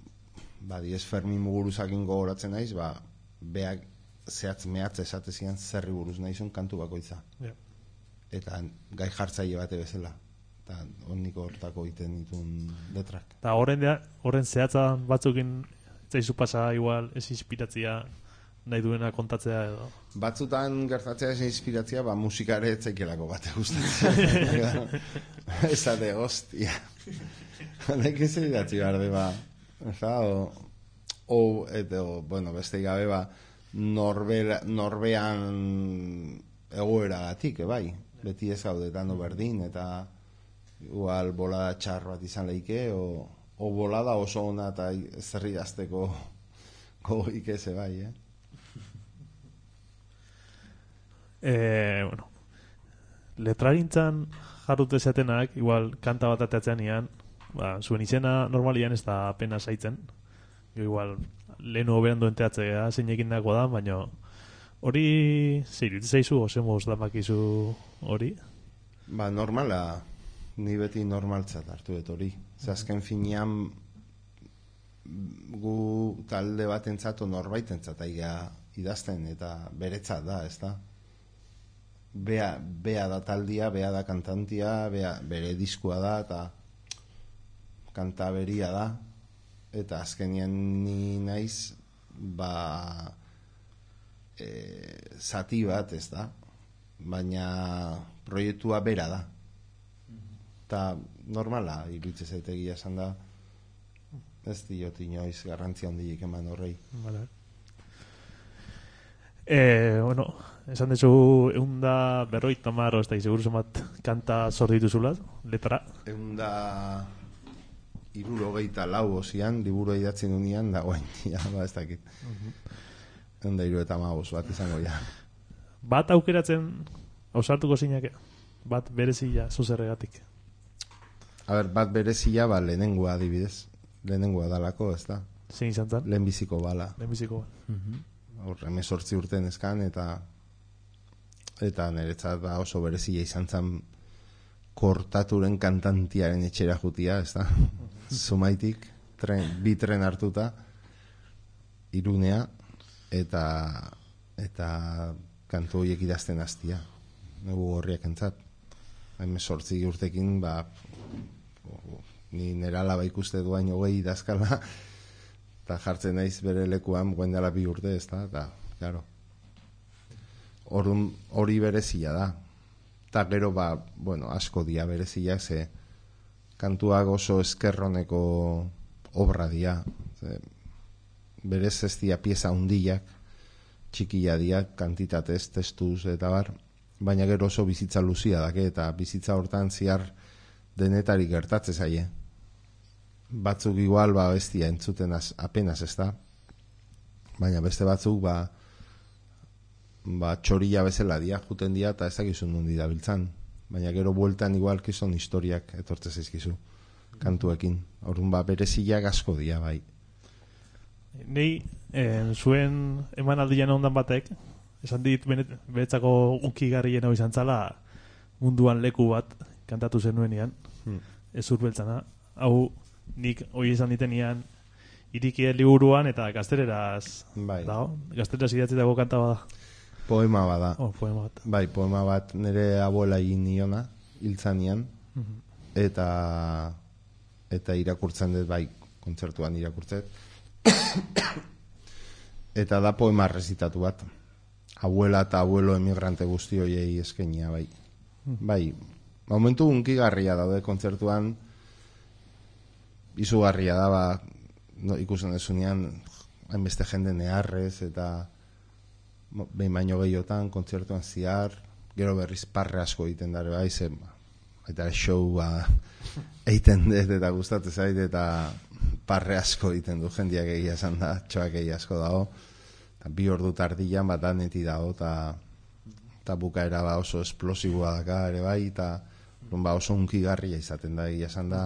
ba, diez Fermin Muguruzakin gogoratzen naiz, ba, beak zehatz mehatz esatezian zerri buruz naizun kantu bakoitza. Yeah. Eta gai jartzaile bate bezala. Eta honiko hortako iten ditun letrak. Eta horren, horren zehatza batzukin zaizu pasa igual ez inspiratzia nahi duena kontatzea edo? Batzutan gertatzea ez inspiratzia, ba musikare etzaikelako bate gustatzen. Esate, hostia. Honek ez idatzi behar de, ba. Eza, o, o, eto, bueno, beste gabe, ba, norbera, norbean egoeragatik, bai. Beti ez gaudetan berdin, eta igual bolada txar bat izan leike, o... o bolada oso ona eta zerri dazteko gogoik eze bai, eh? Eh, bueno, letragintzan jarrute zatenak, igual kanta bat ateatzean ian, ba, zuen izena normalian ez da apenas haitzen. Igual, lehen hobean duen teatzea zeinekin dago da, baina hori zeiritz zaizu, ose moz damakizu hori? Ba, normala, ni beti normaltzat hartu dut hori. Azken finean gu talde bat entzat o norbaitentzat aiga idazten eta beretzat da, ez da? Bea, bea da taldia, bea da kantantia, bea, bere diskua da eta kanta beria da, eta azkenean ni naiz ba e, zati bat, ez da? Baina proiektua bera da. Eta normala iritze zaitegia esan da, ez diot inoiz garrantzia handiik eman horrei. Vale. Eh, bueno, esan dezu eunda berroita marro, ez da izeguru zemat kanta zorditu zulat, letra? Eunda irurogeita lau ozian, liburu idatzen unian, da guain, ja, ba ez dakit. Eunda iru eta magoz bat izango ja. Bat aukeratzen ausartuko zinake? Bat berezia zuzerregatik? A ber, bat berezia, ba, lehenengoa adibidez. Lehenengoa dalako, ez da? Zein izan zan? Lehenbiziko bala. Lehenbiziko bala. Uh-huh. Hor, emezortzi urten ezkan, eta eta niretzat da oso berezia izan zan Kortaturen kantantiaren etxera jutia, ez da? Uh-huh. Zumaitik, tren, bi tren hartuta, Irunea, eta eta kantu horiek idazten hastia. Negu horriak entzat. Hain sortzi urtekin, ba, ni nera alaba ikuste duain hogei idazkala, eta jartzen naiz bere lekuan guen dela bi urte, ez da, eta, claro. Orduan hori berezia da. Eta gero, ba, bueno, asko dia bereziak, ze kantuak oso eskerroneko obra dia. Ze, berez ez dia pieza hundiak, txikia dia, kantitatez, testuz, eta bar, baina gero oso bizitza luzia dake, eta bizitza hortan ziar denetarik gertatze zaie. Batzuk igual, ba, ez dia entzuten az, apenas ez da, baina beste batzuk, ba, ba, txorilla bezala dia, juten dia, eta ezakizun nundi dabiltzan, baina gero bueltan igual kizon historiak etortze zaizkizu, kantuekin. Orduan, ba, bereziak asko dia, bai. Nei, eh, zuen emanaldian ondan batek, esan dit beretzako unkigarrien hau izan zala munduan leku bat kantatu zenuenean, hmm. ez urbeltzana. Hau, nik hoi izan ditenian irikien liburuan eta gaztereraz bai. dago. Gaztereraz idatzitako kanta bada. Poema bada. Oh, poema bat. Bai, poema bat nire abuela egin niona, hiltzanian, Mhm. eta eta irakurtzen dut, bai, kontzertuan irakurtzen. Eta da poema rezitatu bat. Abuela eta abuelo emigrante guzti hoiei eskenia, bai. Bai, momentu unkigarria daude kontzertuan, izugarria da, ba, no, ikusten desunean, hainbeste jende neharrez, eta behin baino gehiotan, kontzertuan ziar, gero berriz parre asko egiten dara, bai, zen, eta show, ba, eiten dut, eta gustatzen zait, eta parre asko egiten du, jendiak egia esan da, txoak egia asko dago, eta bi ordu tardian, bat aneti dago, eta eta bukaera ba oso esplosiboa daka ere bai, eta ba oso unkigarria izaten da, egia esan da,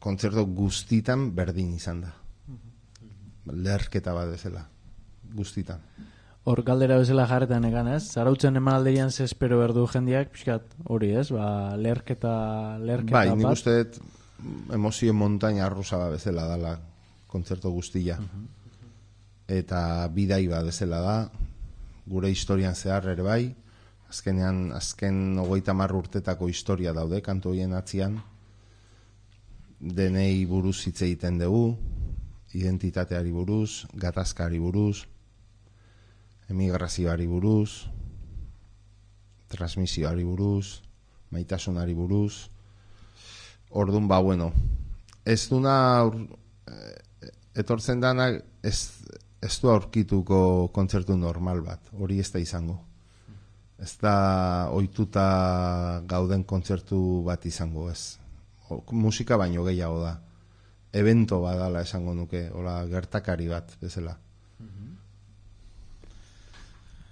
kontzertu guztitan berdin izan da. Leherketa bat bezala, guztitan. Hor galdera bezala jarretan egan, ez? Zarautzen emanaldian ze espero berdu jendiak, pixkat hori, ez? Ba, leherketa, leherketa bai, bat. nik uste dut emozio montaña rusa bat bezala dala kontzertu guztia. Eta bidai bat bezala da, gure historian zehar ere bai, azkenean, azken hogeita hamar urtetako historia daude, kantu horien atzian, denei buruz hitz egiten dugu, identitateari buruz, gatazkari buruz, emigrazioari buruz, transmisioari buruz, maitasunari buruz. Ordun ba, bueno, ez duna etortzen danak ez, ez du aurkituko kontzertu normal bat, hori ez da izango. Ez da ohituta gauden kontzertu bat izango, ez. O, musika baino gehiago da. Evento badala esango nuke, hola gertakari bat bezala.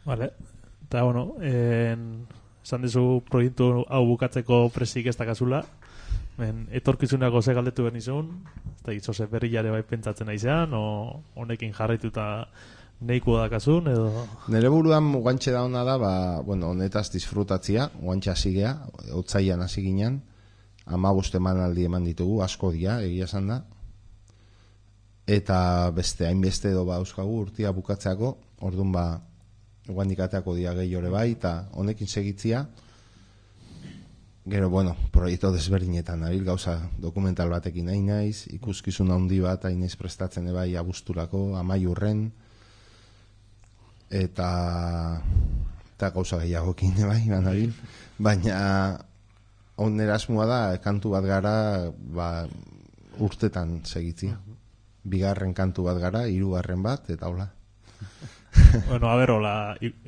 Vale. Eta, bueno, en, esan dizu proiektu hau bukatzeko presik ez dakazula. Ben, etorkizunako ze galdetu benizun, ez da gizoze berriare bai pentsatzen naizean, o honekin jarraituta neiko dakazun, edo... Nere buruan guantxe da hona da, ba, bueno, honetaz disfrutatzia, guantxe hasi gea, otzaian hasi ginen, hamabost emanaldi eman ditugu, asko dia, egia esan da, eta beste, hainbeste edo ba euskagu urtia bukatzeako, orduan ba, guandikateako dia gehiore bai, eta honekin segitzia, gero, bueno, proiektu desberdinetan nabil, gauza dokumental batekin nahi naiz, ikuskizun handi bat hain naiz prestatzen ebai abusturako, amaiurren, eta eta gauza gehiagokin ebai, nabil, baina on erasmua da, kantu bat gara, ba, urtetan segitzia. Bigarren kantu bat gara, hirugarren bat, eta hola. Bueno, a ver, hola,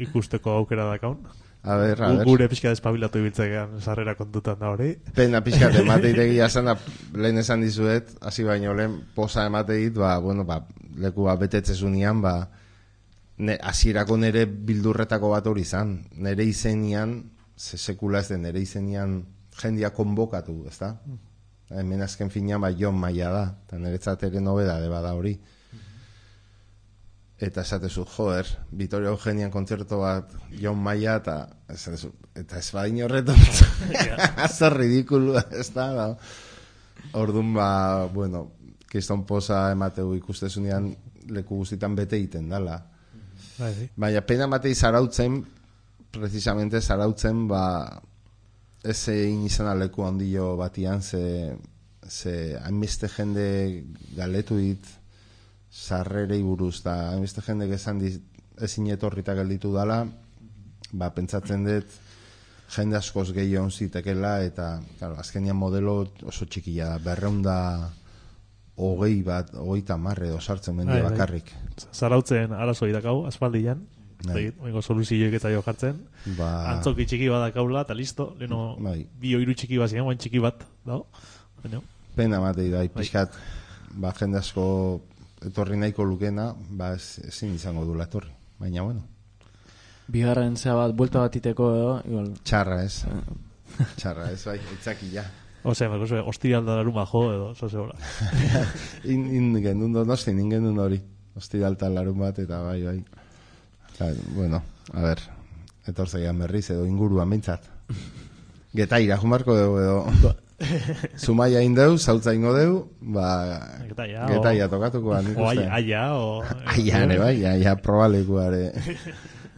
ikusteko aukera dakaun. A ber, a ber. Gure pixka despabilatu ibitzegean sarrera kontutan da hori. Pena pixka emateitegia esan da, lehen esan dizuet, hasi baino lehen posa emateit, ba, bueno, ba, leku ba, betetzezunian, ba, ne, hasierako nere bildurretako bat hori izan. Nere izenian, ze sekula ez den, nere izenian jendia konbokatu, ez da? Hemen azken finean, ba, Jon Maia da, eta niretzat ere nobedade bada hori. Eta esatezu, joder, Vitoria Eugenian kontzertu bat Jon Maia, eta esatezu, eta ez badin horretu, zer ridikulu, ez da, da. Ordun ba, bueno, kriston posa emateu ikustezunean leku guztitan bete egiten dala. Bai, bai. Baina pena matei zarautzen, precisamente zarautzen, ba, ez egin izan leku handio batian, ze, ze hainbeste jende galetu dit sarrerei buruz, da hainbeste jende gezan dit, ezin etorrita gelditu dala, ba, pentsatzen dut, jende askoz gehiago zitekela, eta, claro, azkenian modelo oso txikia da, berreunda hogei bat, hogeita marre edo sartzen mendia Bai, bai. bakarrik. Zarautzen arazo idakau, aspaldian. Bai. Oingo soluzioek eta jo jartzen. Ba, Antzoki txiki bat dakaula, eta listo. Leno, Bai. bi oiru txiki bat ziren, guain txiki bat. Dago? Baina, pena matei da, pixkat, ba, jende asko etorri nahiko lukena, ba, ez, ezin izango dula etorri. Baina, bueno, Bigarren zea bat, buelta bat iteko edo, igual. txarra ez. Txarra ez, bai, itzakila. Ose, marko zuen, hostial da laruma jo edo, zoze hola. In, in gendun donosti, in gendun hori. Hostiraltan larun bat, eta bai, bai. Eta, bueno, a ver, etorzaian berriz edo inguruan mintzat. Getaira, jumarko dugu edo. Zumaia indeu, zautza ingo deu, ba, Getaia, getaia o- tokatuko nik O uste. aia, aia, o... Aia, ere bai, aia probalekuare.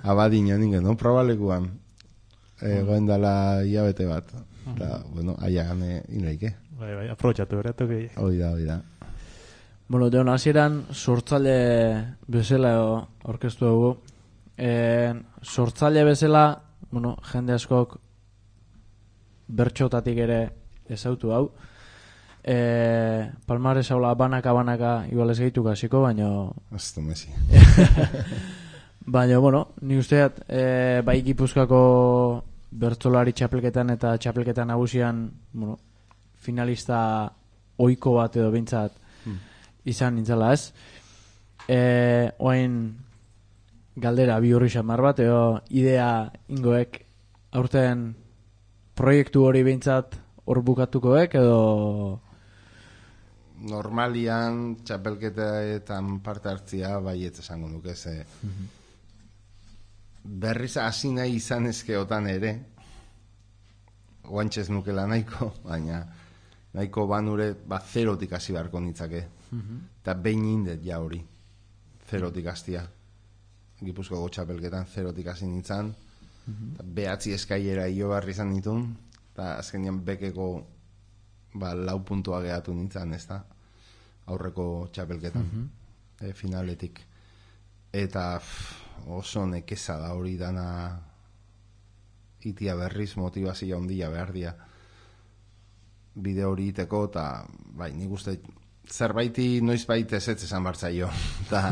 Abadino ningen, no? Probalekuan. Egoen dala hilabete bat. Eta, bueno, aia gane inleike. Bai, bai, aprobetxatu beratu gehi. Hoi da, hoi da. Bueno, deon, hasieran sortzaile bezala orkestu dugu. E, sortzaile bezala, bueno, jende askok bertxotatik ere ezautu hau. E, Palmares haula banaka-banaka igual ez gehitu hasiko, baina... Ez du mesi. Baina, bueno, ni usteat, e, bai Gipuzkoako bertsolari txapelketan eta txapelketan nagusian, bueno, finalista ohiko bat edo bintzat izan nintzala ez. E, oain galdera bi horri xamar bat, edo idea ingoek aurten proiektu hori bintzat hor bukatukoek, edo... Normalian txapelketetan parte hartzia baiet esango nuke, ze berriz hasi nahi izan ezkeotan ere, oantxez nukela nahiko, baina nahiko banure, ba, zerotik hasi beharko nitzake. Eta behin indet ja hori, zerotik hastia. Gipuzkoako txapelketan zerotik hasi nintzan, eta behatzi eskailera hilo barri izan nitun, eta azkenean bekeko ba, lau puntua gehatu nintzen, ez da? Aurreko txapelketan, e, finaletik. Eta pff, oso nekeza da hori dana itia berriz motivazio handia behar dia bide hori iteko, eta bai, nik uste zerbaiti noizbait ez ez esan bartzaio. Eta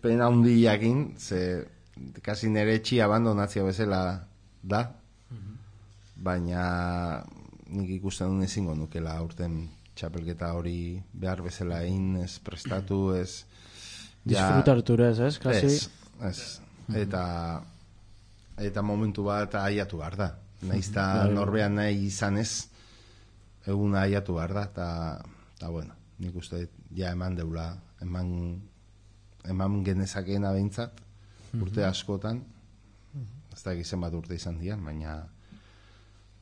pena handiakin, ze kasi nere etxia abandonazio bezala da, baina nik ikusten duen ezingo nukela aurten txapelketa hori behar bezala egin, ez prestatu, ez... Disfrutartu ez, ez? Kasi... Ez, ez. Eta, eta momentu bat aiatu behar da. Naizta norbean nahi izan ez, eguna aiatu behar da, eta, eta bueno, nik uste ja eman deula, eman, eman genezakena behintzat, urte askotan, ez da egizen bat urte izan dian, baina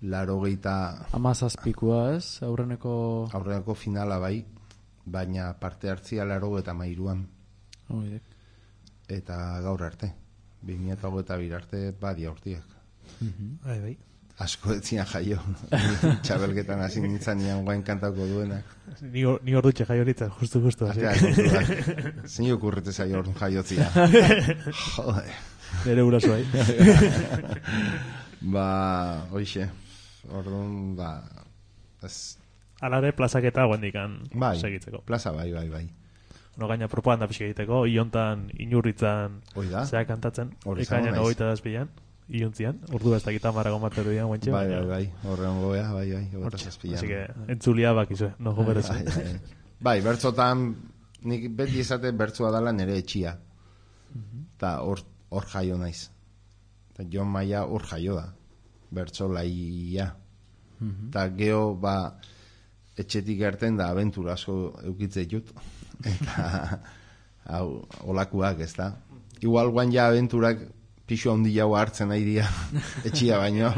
laro geita... Amazazpikua ez, aurreneko... Aurreneko finala bai, baina parte hartzia laro eta mairuan. Oidek. Eta gaur arte, bi mila hogeita bi arte badia urtiak. Bai, bai. Asko etzian jaio, txabelketan hasi nintzen nian guain kantauko duenak. Ni, or, ni ordutxe jai horitzen, justu, justu. Atea, kontuak. Zin okurrete zaio orduan jaiotzia. Jode. Nere urazo, bai. Ba, hoixe, orduan, ba, ez... Alare plazaketa guendikan Bai, segitzeko. plaza bai, bai, bai. No gaina propaganda pixka egiteko, iontan inurritzan Hoi da. zea kantatzen, Hori izango ekainan naiz. hogeita dazpilan, iontzian, ordu ez dakita marago materu dian guentxe. Bai, bai, bai, horren goea, bai, bai, hogeita Hortxe, zazpian. así que entzulia bakizue, no goberezu. Bai, bai. Bai, bertzotan, nik beti esate bertzoa dala nere etxia. Eta hor, hor jaio naiz. Eta Jon Maia hor jaio da. Bertzo laia. Eta geho, ba, etxetik gerten da abentura asko eukitze jut. Eta, hau, olakuak, ez da. Igual guan ja abenturak pixu handi jau hartzen nahi dira etxia baino.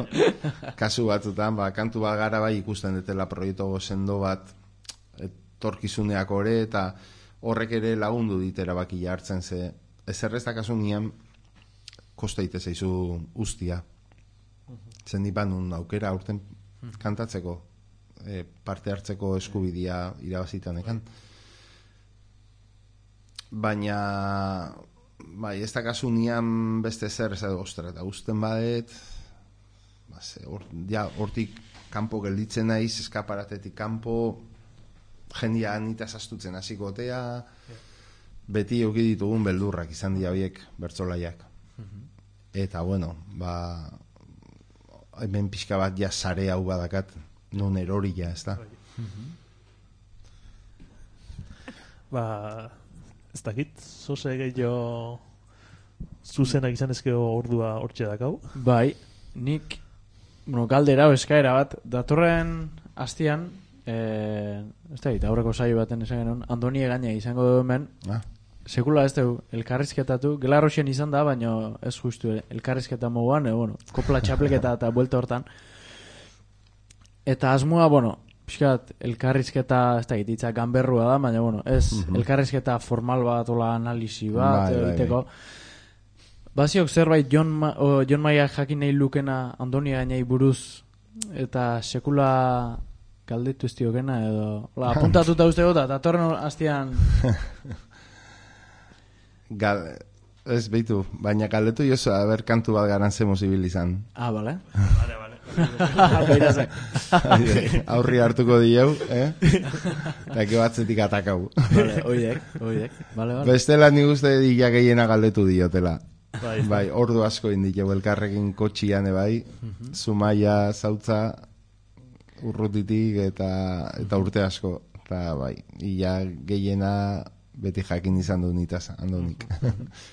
Kasu batzutan, ba, kantu bat gara bai ikusten detela proiektu sendo bat torkizuneak ore, eta horrek ere lagundu dit erabakia hartzen, ze ezerreztak asunian kosta ite zaizu ustia. Zendipan un aukera aurten kantatzeko, e, parte hartzeko eskubidia irabazitanekan. Baina, bai, ez da kasu nian beste zer, ez da, ostra, eta usten badet, ba, ze, or, ja, hortik kanpo gelditzen naiz, eskaparatetik kanpo, jendia anita sastutzen hasiko otea, beti euki ditugun beldurrak izan dira horiek bertsolaiak. Eta, bueno, ba, hemen pixka bat ja sare hau badakat, non eroria, ez da. Ba, ez dakit, zoze gehiago zuzenak izan ezkeo ordua hortxe dakau. Bai, nik, bueno, galdera o eskaera bat, datorren hastian, eh, ez da, aurreko saio baten esan genuen, Andoni Egaña izango du hemen, Ah. sekula ez dugu, elkarrizketatu, Gelarroxen izan da, baina ez justu elkarrizketa moguan, e, bueno, kopla txapleketa eta buelta hortan. Eta asmoa, bueno, pixkat, elkarrizketa, ez da, hitza ganberrua da, baina, bueno, ez, uh-huh. elkarrizketa formal bat, ola analisi bat, bai, egiteko. Bai, bai. Baziok zerbait Jon, Ma, o, Jon Maia jakin nahi lukena Andoni Egañai buruz, eta sekula galdetu ez diokena, edo, ola, apuntatuta uste gota, eta torren hastian... Gal, ez behitu, baina galdetu jozu, haber kantu bat garantzen zibil izan. Ah, bale. Vale, vale. Beirazak. Aurri hartuko dieu, eh? Eta batzetik atakau. Vale, oidek, oidek. Vale, vale. Bestela nik uste dila gehiena galdetu diotela. Bai, bai, ordu asko indikeu elkarrekin kotxian, bai, Zumaia, Zautza, urrutitik eta, eta urte asko. Eta bai, ia gehiena... beti jakin izan du nitaz, Andonik.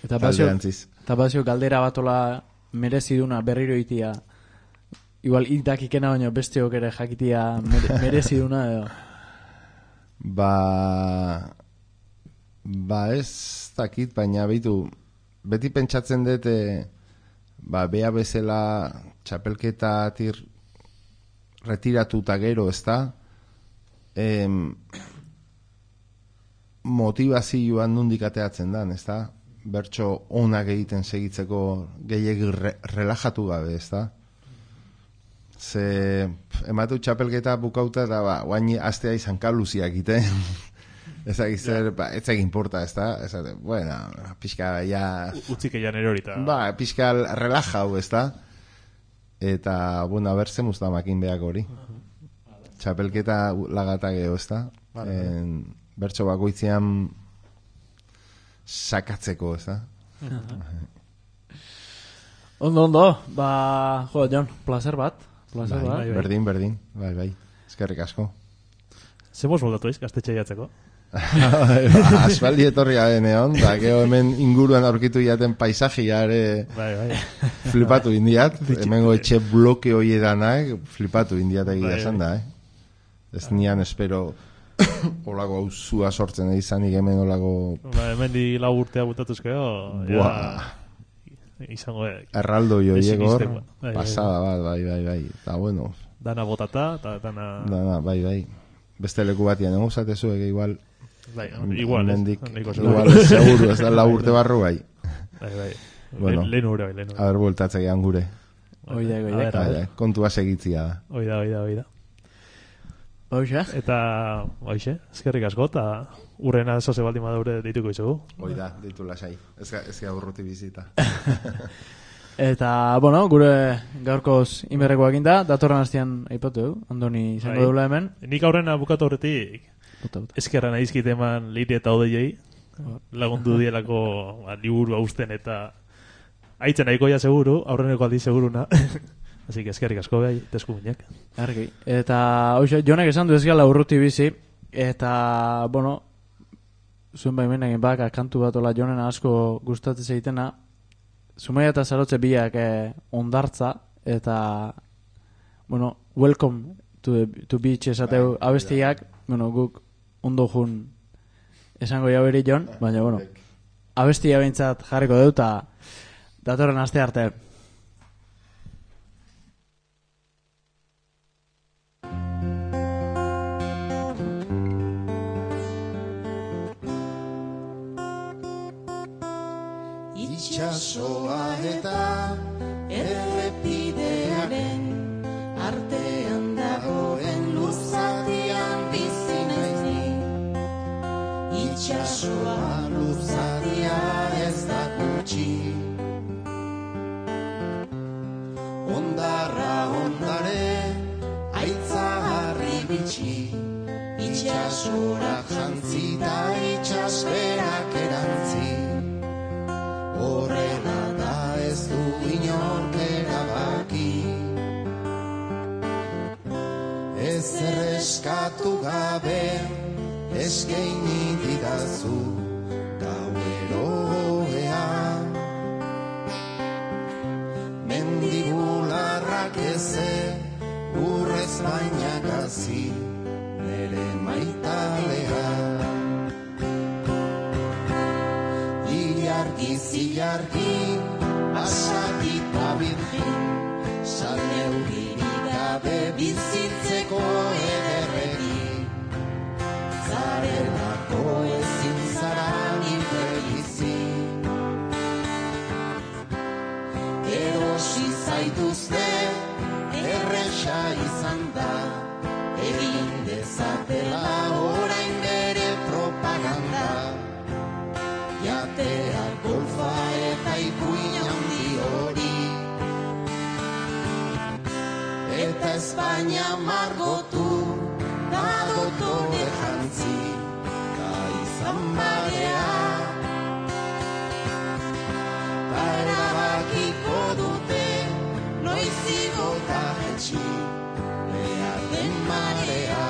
Eta bazio, eta bazio galdera batola mereziduna berriro itia, igual itakikena baino besteok ere jakitia mere, mereziduna edo. Ba, ba ez dakit, baina behitu, beti pentsatzen dut, ba, bea bezala txapelketatik retiratuta gero, ez da? Em, motivazioan nundik ateatzen dan, ez da? Bertso onak egiten segitzeko gehiagik re, relajatu gabe, ez da? Ze ematu txapelketa bukauta eta ba, guain astea izan kaluziak ite. Ez zer, ba, ez egin porta, ez da? Ez da, bueno, pixka ja... Utzik eian erorita. Ba, pixka relajau, ez da? Eta, bueno, a ber, zemuz da makin behak hori. Txapelketa lagata geho, ez da? En, bertso bakoitzean sakatzeko, ez da? Ondo, ondo, ba, jo, Jon, placer bat. Placer bai, bat. bai, berdin, berdin, bai, bai, eskerrik asko. Zemos moldatu eiz, gaztetxe jatzeko? Asfaldi etorri garen egon, da, geho hemen inguruan aurkitu jaten paisajia ere bai, bai. flipatu indiat, hemengo etxe bloke hoi edanak, flipatu indiat egia esan da, eh? Ez nian espero... Olago hau zua sortzen izanik hemen olago... Ba, hemen di lau urtea butatuzkeo, ja... Izango... Erraldo joiegor, bai, pasada bat, bai, bai, bai. Eta bueno... Dana botata, eta dana... Dana, bai, bai. Beste leku batian, ego zatezu, ege igual... Bai, igual, mendik, ez. Igual, ez, seguru, ez da lau urte barru, bai. Bai, bai. Bueno, lehen ure, bai, lehen ure. A ber, bueltatzek egan gure. Oida, oida. Bai, kontua segitzia da. Oida, oida, oida. Oixe. Eta, oixe, eskerrik asko, eta urrena zoze baldin badaure dituko izugu. Oida, ditu lasai. Ez ga urruti bizita. Eta, bueno, gure gaurkoz inberrekoak inda, datorren hastian aipatu, Andoni izango bai. deula hemen. Nik aurrena bukatu horretik, eskerra nahizkit eman Leire eta Odeiei, lagundu dielako ba, liburu hausten eta aitzen nahikoia seguru, aurreneko aldi seguruna. Así que eskerrik asko behai, teskuminak. Argi. Eta, oixe, Jonek esan du ez gala urruti bizi, eta, bueno, zuen baimenak baka kantu bat ola Jonen asko gustatzen egitena, Zumaia eta Zarotze biak eh, ondartza, eta, bueno, welcome to, the, to beach esateu bai, abestiak, bai. Bueno, guk ondo jun esango jau eri Jon, baina, bueno, abestia behintzat jarriko deu, eta datorren aste arte. itxasoa eta errepidearen artean dagoen luzatian bizi naiz ni. Itxasoa luzatia ez da gutxi, ondarra ondare aitza harri bitxi, itxasora jantzi da itxasberak erantzi. Horrela da ez du inork erabaki, ez erreskatu gabe eskeini didazu gaueroea. Mendigularrak eze urrez baina gazi nere maitalea. Ilargi zilargi basatita birgin, salneurgirik gabe bizitzeko ederregi. Zarelako ezin zara nire bizi, erosi zaituzte erresa izan da, egin dezatela orain bere propaganda. Jatea golfa eta ipuin handi hori, eta Espainia margotu da dotore jantzi, gaizan barea. Ta erabakiko dute noiz igota jetxi behar den marea.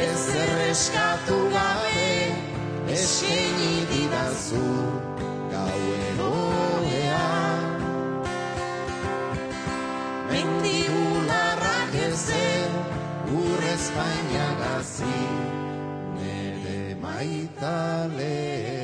Ez erreskatu gabe eskaini didazu gaueroea. Mendigularrak eze urrez baina gazi nere maitalea.